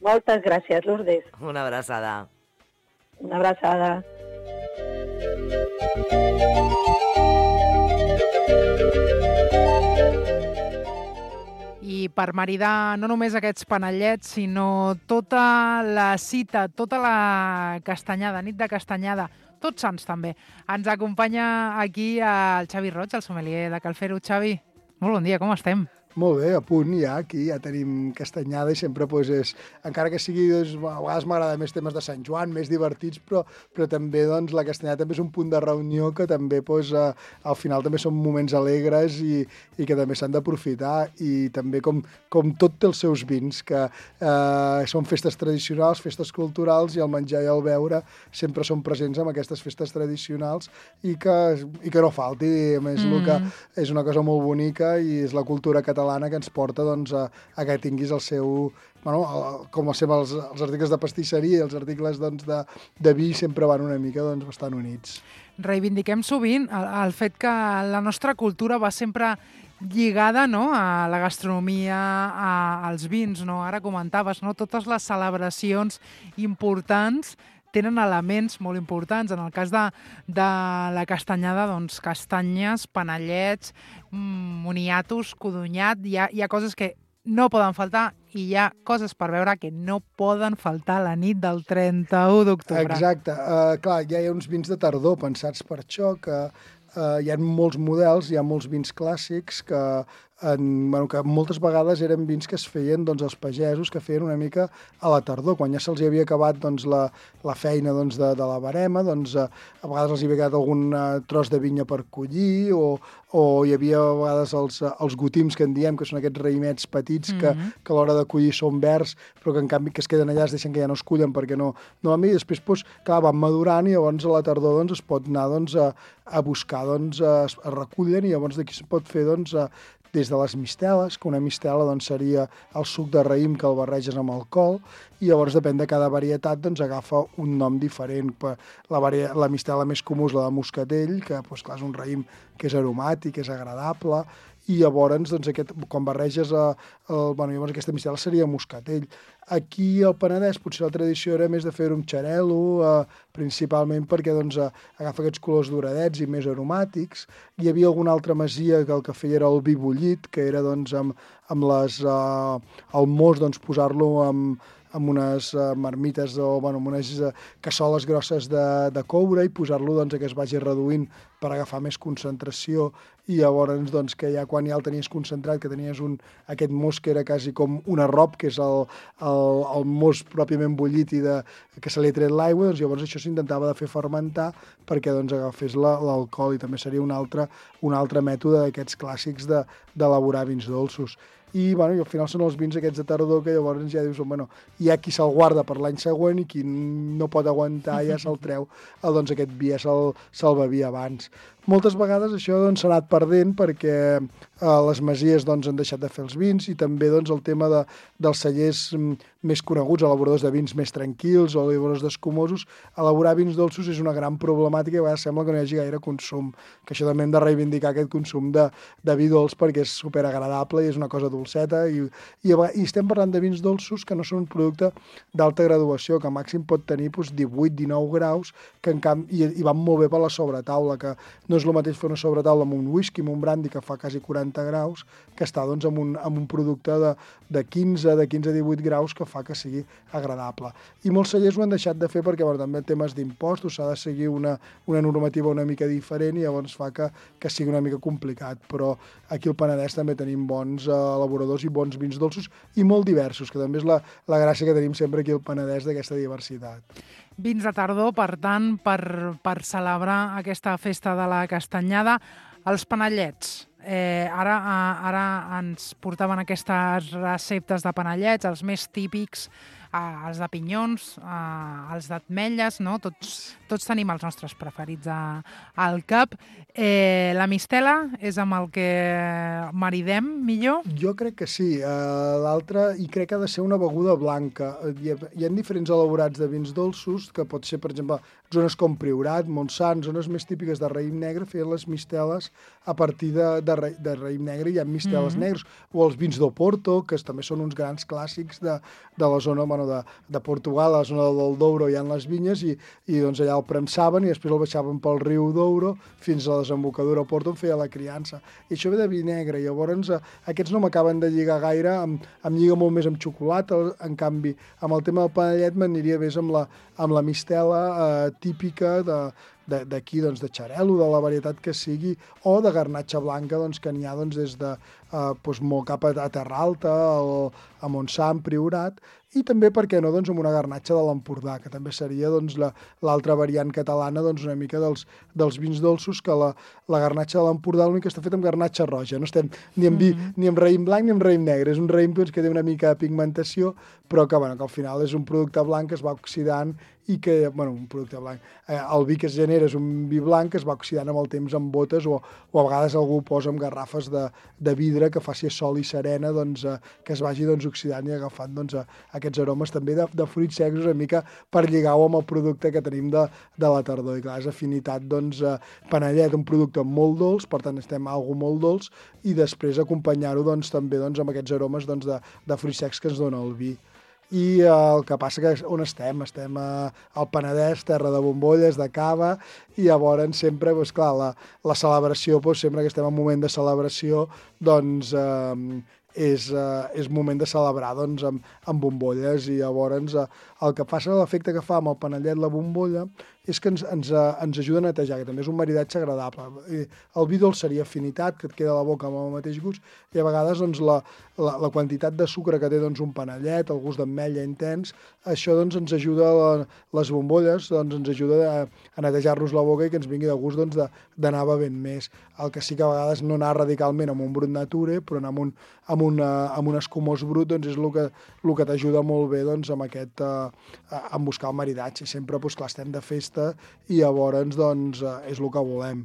Speaker 11: Moltes gràcies, Lourdes.
Speaker 4: Una abraçada.
Speaker 11: Una abraçada.
Speaker 12: I per maridar no només aquests panellets, sinó tota la cita, tota la castanyada, nit de castanyada, Tots Sants també. Ens acompanya aquí el Xavi Roig, el sommelier de Cal Fer-ho. Xavi, molt bon dia, com estem?
Speaker 13: Molt bé, a punt ja, aquí ja tenim castanyada i sempre, doncs, és, encara que sigui, doncs, a vegades m'agrada més temes de Sant Joan, més divertits, però, però també doncs, la castanyada també és un punt de reunió que també doncs, al final també són moments alegres i, i que també s'han d'aprofitar i també com, com tot té els seus vins, que eh, són festes tradicionals, festes culturals i el menjar i el beure sempre són presents en aquestes festes tradicionals i que, i que no falti. A més, mm. el que és una cosa molt bonica i és la cultura catalana que ens porta doncs, a, a que tinguis el seu... Bueno, el, com sempre els, els articles de pastisseria i els articles doncs, de, de vi sempre van una mica doncs, bastant units.
Speaker 12: Reivindiquem sovint el, el fet que la nostra cultura va sempre lligada, no?, a la gastronomia, a, als vins, no? Ara comentaves, no?, totes les celebracions importants tenen elements molt importants. En el cas de, de la castanyada, doncs, castanyes, panellets, moniatos, codonyat, hi ha, hi ha coses que no poden faltar i hi ha coses per veure que no poden faltar la nit del trenta-u d'octubre.
Speaker 13: Exacte. Uh, clar, ja hi ha uns vins de tardor pensats per això, que uh, hi ha molts models, hi ha molts vins clàssics que En, bueno, que moltes vegades eren vins que es feien doncs, els pagesos, que feien una mica a la tardor, quan ja se'ls havia acabat doncs, la, la feina doncs, de, de la barema, doncs, a, a vegades els hi havia quedat algun uh, tros de vinya per collir, o, o hi havia a vegades els, els gotims que en diem, que són aquests raïmets petits que, mm-hmm. que a l'hora de collir són verds, però que en canvi que es queden allà es deixen que ja no es cullen perquè no, no van bé, i després doncs, clar, van madurant i llavors a la tardor doncs, es pot anar doncs, a, a buscar, doncs, a, es recullen i llavors d'aquí es pot fer doncs, a, des de les misteles, que una mistela doncs, seria el suc de raïm que el barreges amb alcohol, i llavors depèn de cada varietat, doncs agafa un nom diferent. La, vari... la mistela més comú és la de moscatell, que doncs, clar, és un raïm que és aromàtic, és agradable, i llavors, doncs, aquest, quan barreges a, a, bueno, llavors aquesta mistela seria moscatell. Aquí al Penedès potser la tradició era més de fer-ho amb xarel·lo, eh, principalment perquè doncs, eh, agafa aquests colors doradets i més aromàtics. Hi havia alguna altra masia que el que feia era el vi bullit, que era doncs, amb, amb les, eh, el mos doncs, posar-lo amb, amb unes uh, marmites o bueno, amb unes uh, cassoles grosses de, de coure i posar-lo doncs, que es vagi reduint per agafar més concentració i llavors doncs, que ja quan ja el tenies concentrat, que tenies un, aquest mos que era quasi com un arrop, que és el, el, el mos pròpiament bullit i de, que se li ha tret l'aigua, doncs llavors això s'intentava de fer fermentar perquè doncs, agafés l'alcohol i també seria un altre, un altre mètode d'aquests clàssics d'elaborar de, vins dolços. I, bueno, i al final són els vins aquests de tardor que llavors ja dius, bueno, hi ha qui se'l guarda per l'any següent i qui no pot aguantar ja se'l treu, el, doncs aquest vi ja se'l se bevia abans. Moltes vegades això doncs, s'ha anat perdent perquè eh, les masies doncs, han deixat de fer els vins i també doncs, el tema de, dels cellers més coneguts, elaboradors de vins més tranquils o elaboradors d'escumosos, elaborar vins dolços és una gran problemàtica i a vegades sembla que no hi hagi gaire consum, que això també hem de reivindicar aquest consum de, de vi dolç perquè és superagradable i és una cosa dolceta i, i, i estem parlant de vins dolços que no són un producte d'alta graduació, que màxim pot tenir doncs, divuit dinou graus que en camp, i, i van molt bé per la sobretaula, que no és el mateix fer una sobretaula amb un whisky, amb un brandy que fa quasi quaranta graus, que està doncs, amb, un, amb un producte de, de quinze a divuit graus que fa que sigui agradable. I molts cellers ho han deixat de fer perquè bueno, també temes d'impostos, s'ha de seguir una, una normativa una mica diferent i llavors fa que, que sigui una mica complicat. Però aquí al Penedès també tenim bons eh, elaboradors i bons vins dolços i molt diversos, que també és la, la gràcia que tenim sempre aquí al Penedès d'aquesta diversitat.
Speaker 12: vins de tardor, per tant, per, per celebrar aquesta festa de la castanyada. Els panellets. Eh, ara, ara ens portaven aquestes receptes de panellets, els més típics, eh, els de pinyons, eh, els d'ametlles, no? Tots, tots tenim els nostres preferits a, al cap. Eh, la mistela és amb el que maridem millor?
Speaker 13: Jo crec que sí. Uh, L'altre, i crec que ha de ser una beguda blanca. Hi ha, hi ha diferents elaborats de vins dolços, que pot ser, per exemple, zones com Priorat, Montsant, zones més típiques de raïm negre, feien les misteles a partir de, de, ra, de raïm negre, hi ha misteles mm-hmm. negres, o els vins d'Oporto, que també són uns grans clàssics de, de la zona bueno, de, de Portugal, a la zona del Douro hi ha les vinyes, i, i doncs allà el prensaven i després el baixaven pel riu Douro fins a la desembocadura a Porto on feia la criança. I això ve de vi negre, i llavors eh, aquests no m'acaben de lligar gaire, em, em lliga molt més amb xocolata, en canvi, amb el tema del panellet m'aniria més amb la, amb la mistela eh, típica de d'aquí, doncs, de xarel·lo, de la varietat que sigui, o de garnatxa blanca, doncs, que n'hi ha doncs, des de eh, doncs, molt cap a, a Terra Alta, al, a Montsant, Priorat, i també, per què no, doncs, amb una garnatxa de l'Empordà, que també seria doncs, l'altra la, variant catalana, doncs, una mica dels, dels vins dolços, que la, la garnatxa de l'Empordà l'únic que està fet amb garnatxa roja, no estem ni amb vi, mm-hmm. ni amb raïm blanc ni amb raïm negre, és un raïm doncs, que té una mica de pigmentació, però que, bueno, que al final és un producte blanc que es va oxidant i que, bueno, un producte blanc, eh, el vi que es genera és un vi blanc que es va oxidant amb el temps amb botes o, o a vegades algú posa amb garrafes de, de vidre que faci sol i serena, doncs, eh, que es vagi doncs, oxidant i agafant doncs, eh, aquests aromes també de, de fruits secs una mica per lligar-ho amb el producte que tenim de, de la tardor. I clar, és afinitat, doncs, eh, panellet, un producte molt dolç, per tant estem a algo molt dolç, i després acompanyar-ho doncs, també doncs, amb aquests aromes doncs, de, de fruits secs que ens dona el vi. I eh, el que passa que on estem? Estem a, al Penedès, terra de bombolles, de cava, i llavors sempre, doncs, clar, la, la celebració, doncs, sempre que estem en un moment de celebració, doncs eh, és, eh, és moment de celebrar doncs, amb, amb bombolles, i llavors eh, el que passa, l'efecte que fa amb el panellet la bombolla, és que ens, ens, ens ajuda a netejar, que també és un maridatge agradable. El vi dolç seria afinitat, que et queda a la boca amb el mateix gust, i a vegades doncs, la, la, la quantitat de sucre que té doncs, un panellet, el gust d'ametlla intens, això doncs, ens ajuda, la, les bombolles, doncs, ens ajuda a, a netejar-nos la boca i que ens vingui de gust doncs, d'anar bevent més. El que sí que a vegades no anar radicalment amb un brut nature, però anar amb un, amb una, amb un escumós brut doncs, és el que, el que t'ajuda molt bé doncs, amb, aquest, eh, amb buscar el maridatge. Sempre, doncs, clar, estem de festa, i llavors doncs, és el que volem.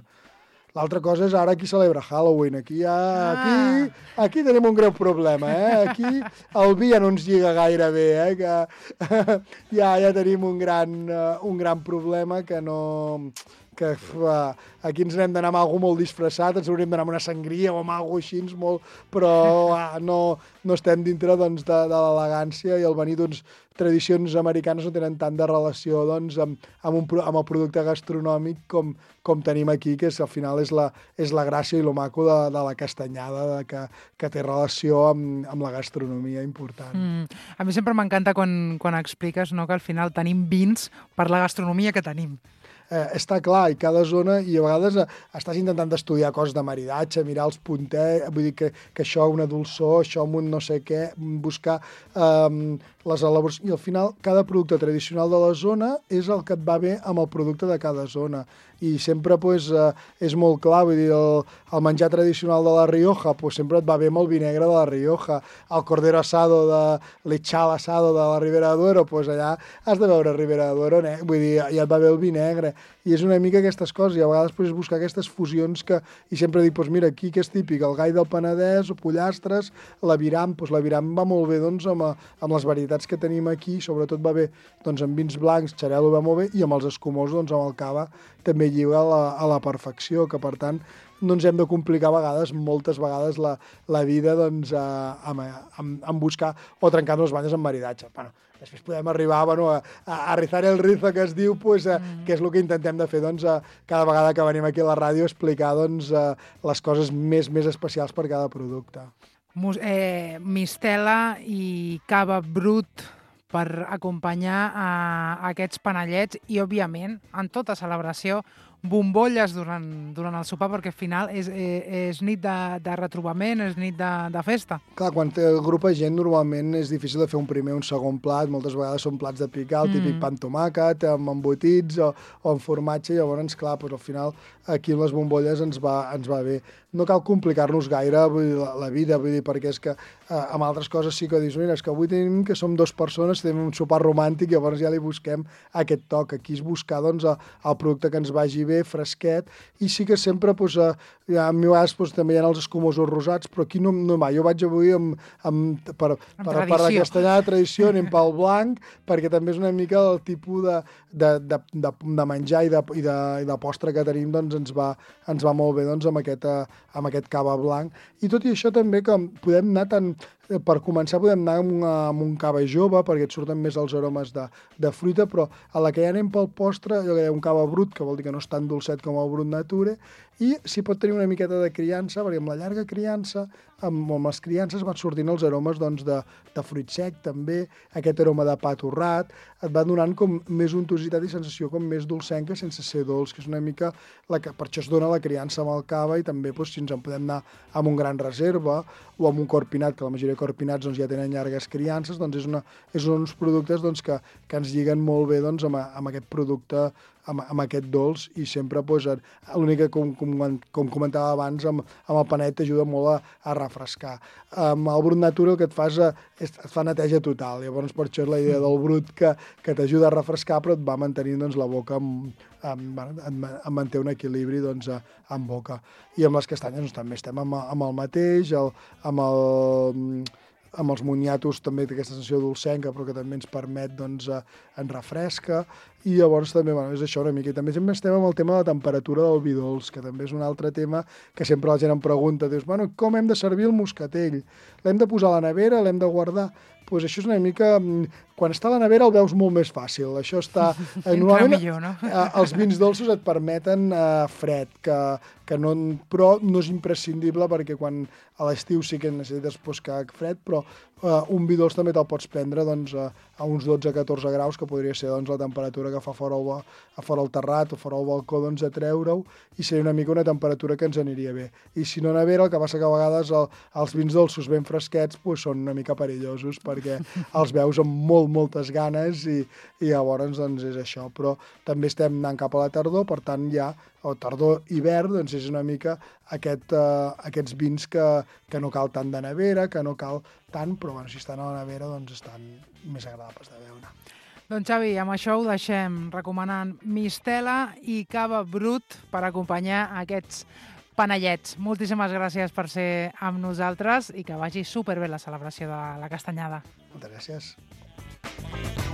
Speaker 13: L'altra cosa és ara qui celebra Halloween. Aquí, ja, aquí, aquí tenim un greu problema. Eh? Aquí el vi ja no ens lliga gaire bé. Eh? Que, ja, ja tenim un gran, un gran problema que no... que uh, aquí ens n'hem d'anar amb alguna molt disfressat, ens hauríem d'anar amb una sangria o amb alguna així, molt, però uh, no, no estem dintre doncs, de, de l'elegància, i el venir doncs, tradicions americanes no tenen tant de relació doncs, amb, amb, un, amb el producte gastronòmic com, com tenim aquí, que és, al final és la, és la gràcia i lo maco de, de la castanyada, de que, que té relació amb, amb la gastronomia important.
Speaker 12: Mm. A mi sempre m'encanta quan, quan expliques, no, que al final tenim vins per la gastronomia que tenim.
Speaker 13: Eh, està clar, i cada zona, i a vegades eh, estàs intentant estudiar coses de maridatge, mirar els punters, vull dir que, que això una dolçor, això amb un no sé què, buscar eh, les elaboracions, i al final cada producte tradicional de la zona és el que et va bé amb el producte de cada zona, i sempre pues, eh, és molt clar, vull dir, el, el menjar tradicional de la Rioja pues, sempre et va bé amb el vi negre de la Rioja, el cordero asado de l'echal asado de la Ribera de Duero, pues allà has de veure Ribera de Duero, eh? Vull dir, ja et va bé el vi negre, i és una mica aquestes coses, i a vegades pues, buscar aquestes fusions que, i sempre dic, pues, mira, aquí que és típic, el gai del Penedès, o pollastres, l'aviram, pues, l'aviram va molt bé doncs, amb, amb les varietats que tenim aquí, sobretot va bé doncs, amb vins blancs, xarel·lo va molt bé, i amb els escumosos, doncs, amb el cava, també lliga a la, a la perfecció, que per tant no ens hem de complicar a vegades, moltes vegades, la, la vida doncs, a, amb, amb, amb buscar o trencar-nos les banyes amb maridatge. Bueno, després podem arribar bueno, a, a rizar el rizo, que es diu, pues, mm. que és el que intentem de fer doncs, a, cada vegada que venim aquí a la ràdio, explicar doncs, a, les coses més, més especials per cada producte.
Speaker 12: Mus eh, mistela i cava brut per acompanyar a aquests panellets i, òbviament, en tota celebració, bombolles durant, durant el sopar, perquè al final és, és, és nit de, de retrobament, és nit de, de festa.
Speaker 13: Clar, quan té el grup de gent normalment és difícil de fer un primer o un segon plat, moltes vegades són plats de picar, el típic mm. pa amb tomàquet, amb embotits o, o amb formatge, i llavors, clar, doncs, al final aquí amb les bombolles ens va, ens va bé. No cal complicar-nos gaire vull dir, la, la vida, vull dir, perquè és que eh, amb altres coses sí que dius, mira, és que avui tenim que som dues persones, tenim un sopar romàntic, llavors ja li busquem aquest toc. Aquí és buscar doncs, el producte que ens vagi bé, fresquet, i sí que sempre, doncs, eh, a mi a vegades doncs, també hi ha els escumosos rosats, però aquí no, no va. Jo vaig avui amb, amb, per, per, per la castellana de tradició, anem pel blanc, perquè també és una mica el tipus de, de, de, de, de menjar i de, i, de, i de postre que tenim, doncs ens va, ens va molt bé doncs, amb aquest amb aquest cava blanc. I tot i això també que podem anar tant, per començar podem anar amb, una, amb un cava jove perquè et surten més els aromes de, de fruita, però a la que ja anem pel postre, allò que deia un cava brut, que vol dir que no és tan dolcet com el brut nature, i s'hi pot tenir una miqueta de criança, perquè amb la llarga criança, amb, amb les criances van sortint els aromes doncs, de, de fruit sec també, aquest aroma de pa torrat, et va donant com més untositat i sensació com més dolcenca sense ser dolç, que és una mica, la que, per això es dona la criança amb el cava, i també doncs, si ens en podem anar amb un gran reserva o amb un corpinat, que la majoria de corpinats doncs, ja tenen llargues criances, doncs és, una, és uns productes doncs, que, que ens lliguen molt bé doncs, amb, amb aquest producte, amb, amb aquest dolç, i sempre doncs, l'únic que, com, com, com comentava abans, amb, amb el panet t'ajuda molt a, a refrescar. Amb el brut nature el que et fa és, és et fa neteja total, llavors per això és la idea del brut que, que t'ajuda a refrescar, però et va mantenint doncs, la boca amb, amb, amb, amb manté un equilibri doncs, en boca. I amb les castanyes doncs, també estem amb, amb el mateix, el, amb el... amb els moniatos també té aquesta sensació dolcenca, però que també ens permet, doncs, eh, ens refresca, i llavors també, bueno, és això una mica. I també sempre estem amb el tema de la temperatura del vi dolç, que també és un altre tema que sempre la gent em pregunta, dius, bueno, com hem de servir el moscatell? L'hem de posar a la nevera, l'hem de guardar? Doncs pues això és una mica... Quan està a la nevera el veus molt més fàcil. Això està... Eh, normalment, millor, no? eh, els vins dolços et permeten eh, fred, que, que no, però no és imprescindible, perquè quan a l'estiu sí que necessites pues, que fred, però eh, un vi dolç també te'l pots prendre doncs, a, a uns dotze a catorze graus, que podria ser doncs, la temperatura que fa fora el, a fora el terrat o fora el balcó, doncs, a treure-ho, i seria una mica una temperatura que ens aniria bé. I si no a nevera, el que passa que a vegades el, els vins dolços ben fresquets pues, són una mica perillosos, perquè els veus amb molt, moltes ganes, i, i llavors doncs, és això. Però també estem anant cap a la tardor, per tant ja, o tardor-hivern, doncs és una mica aquest, uh, aquests vins que, que no cal tant de nevera, que no cal tant, però bueno, si estan a la nevera doncs estan més agradables de beure.
Speaker 12: Doncs Xavi, amb això ho deixem recomanant mistela i cava brut per acompanyar aquests panellets. Moltíssimes gràcies per ser amb nosaltres i que vagi superbé la celebració de la castanyada.
Speaker 13: Moltes gràcies.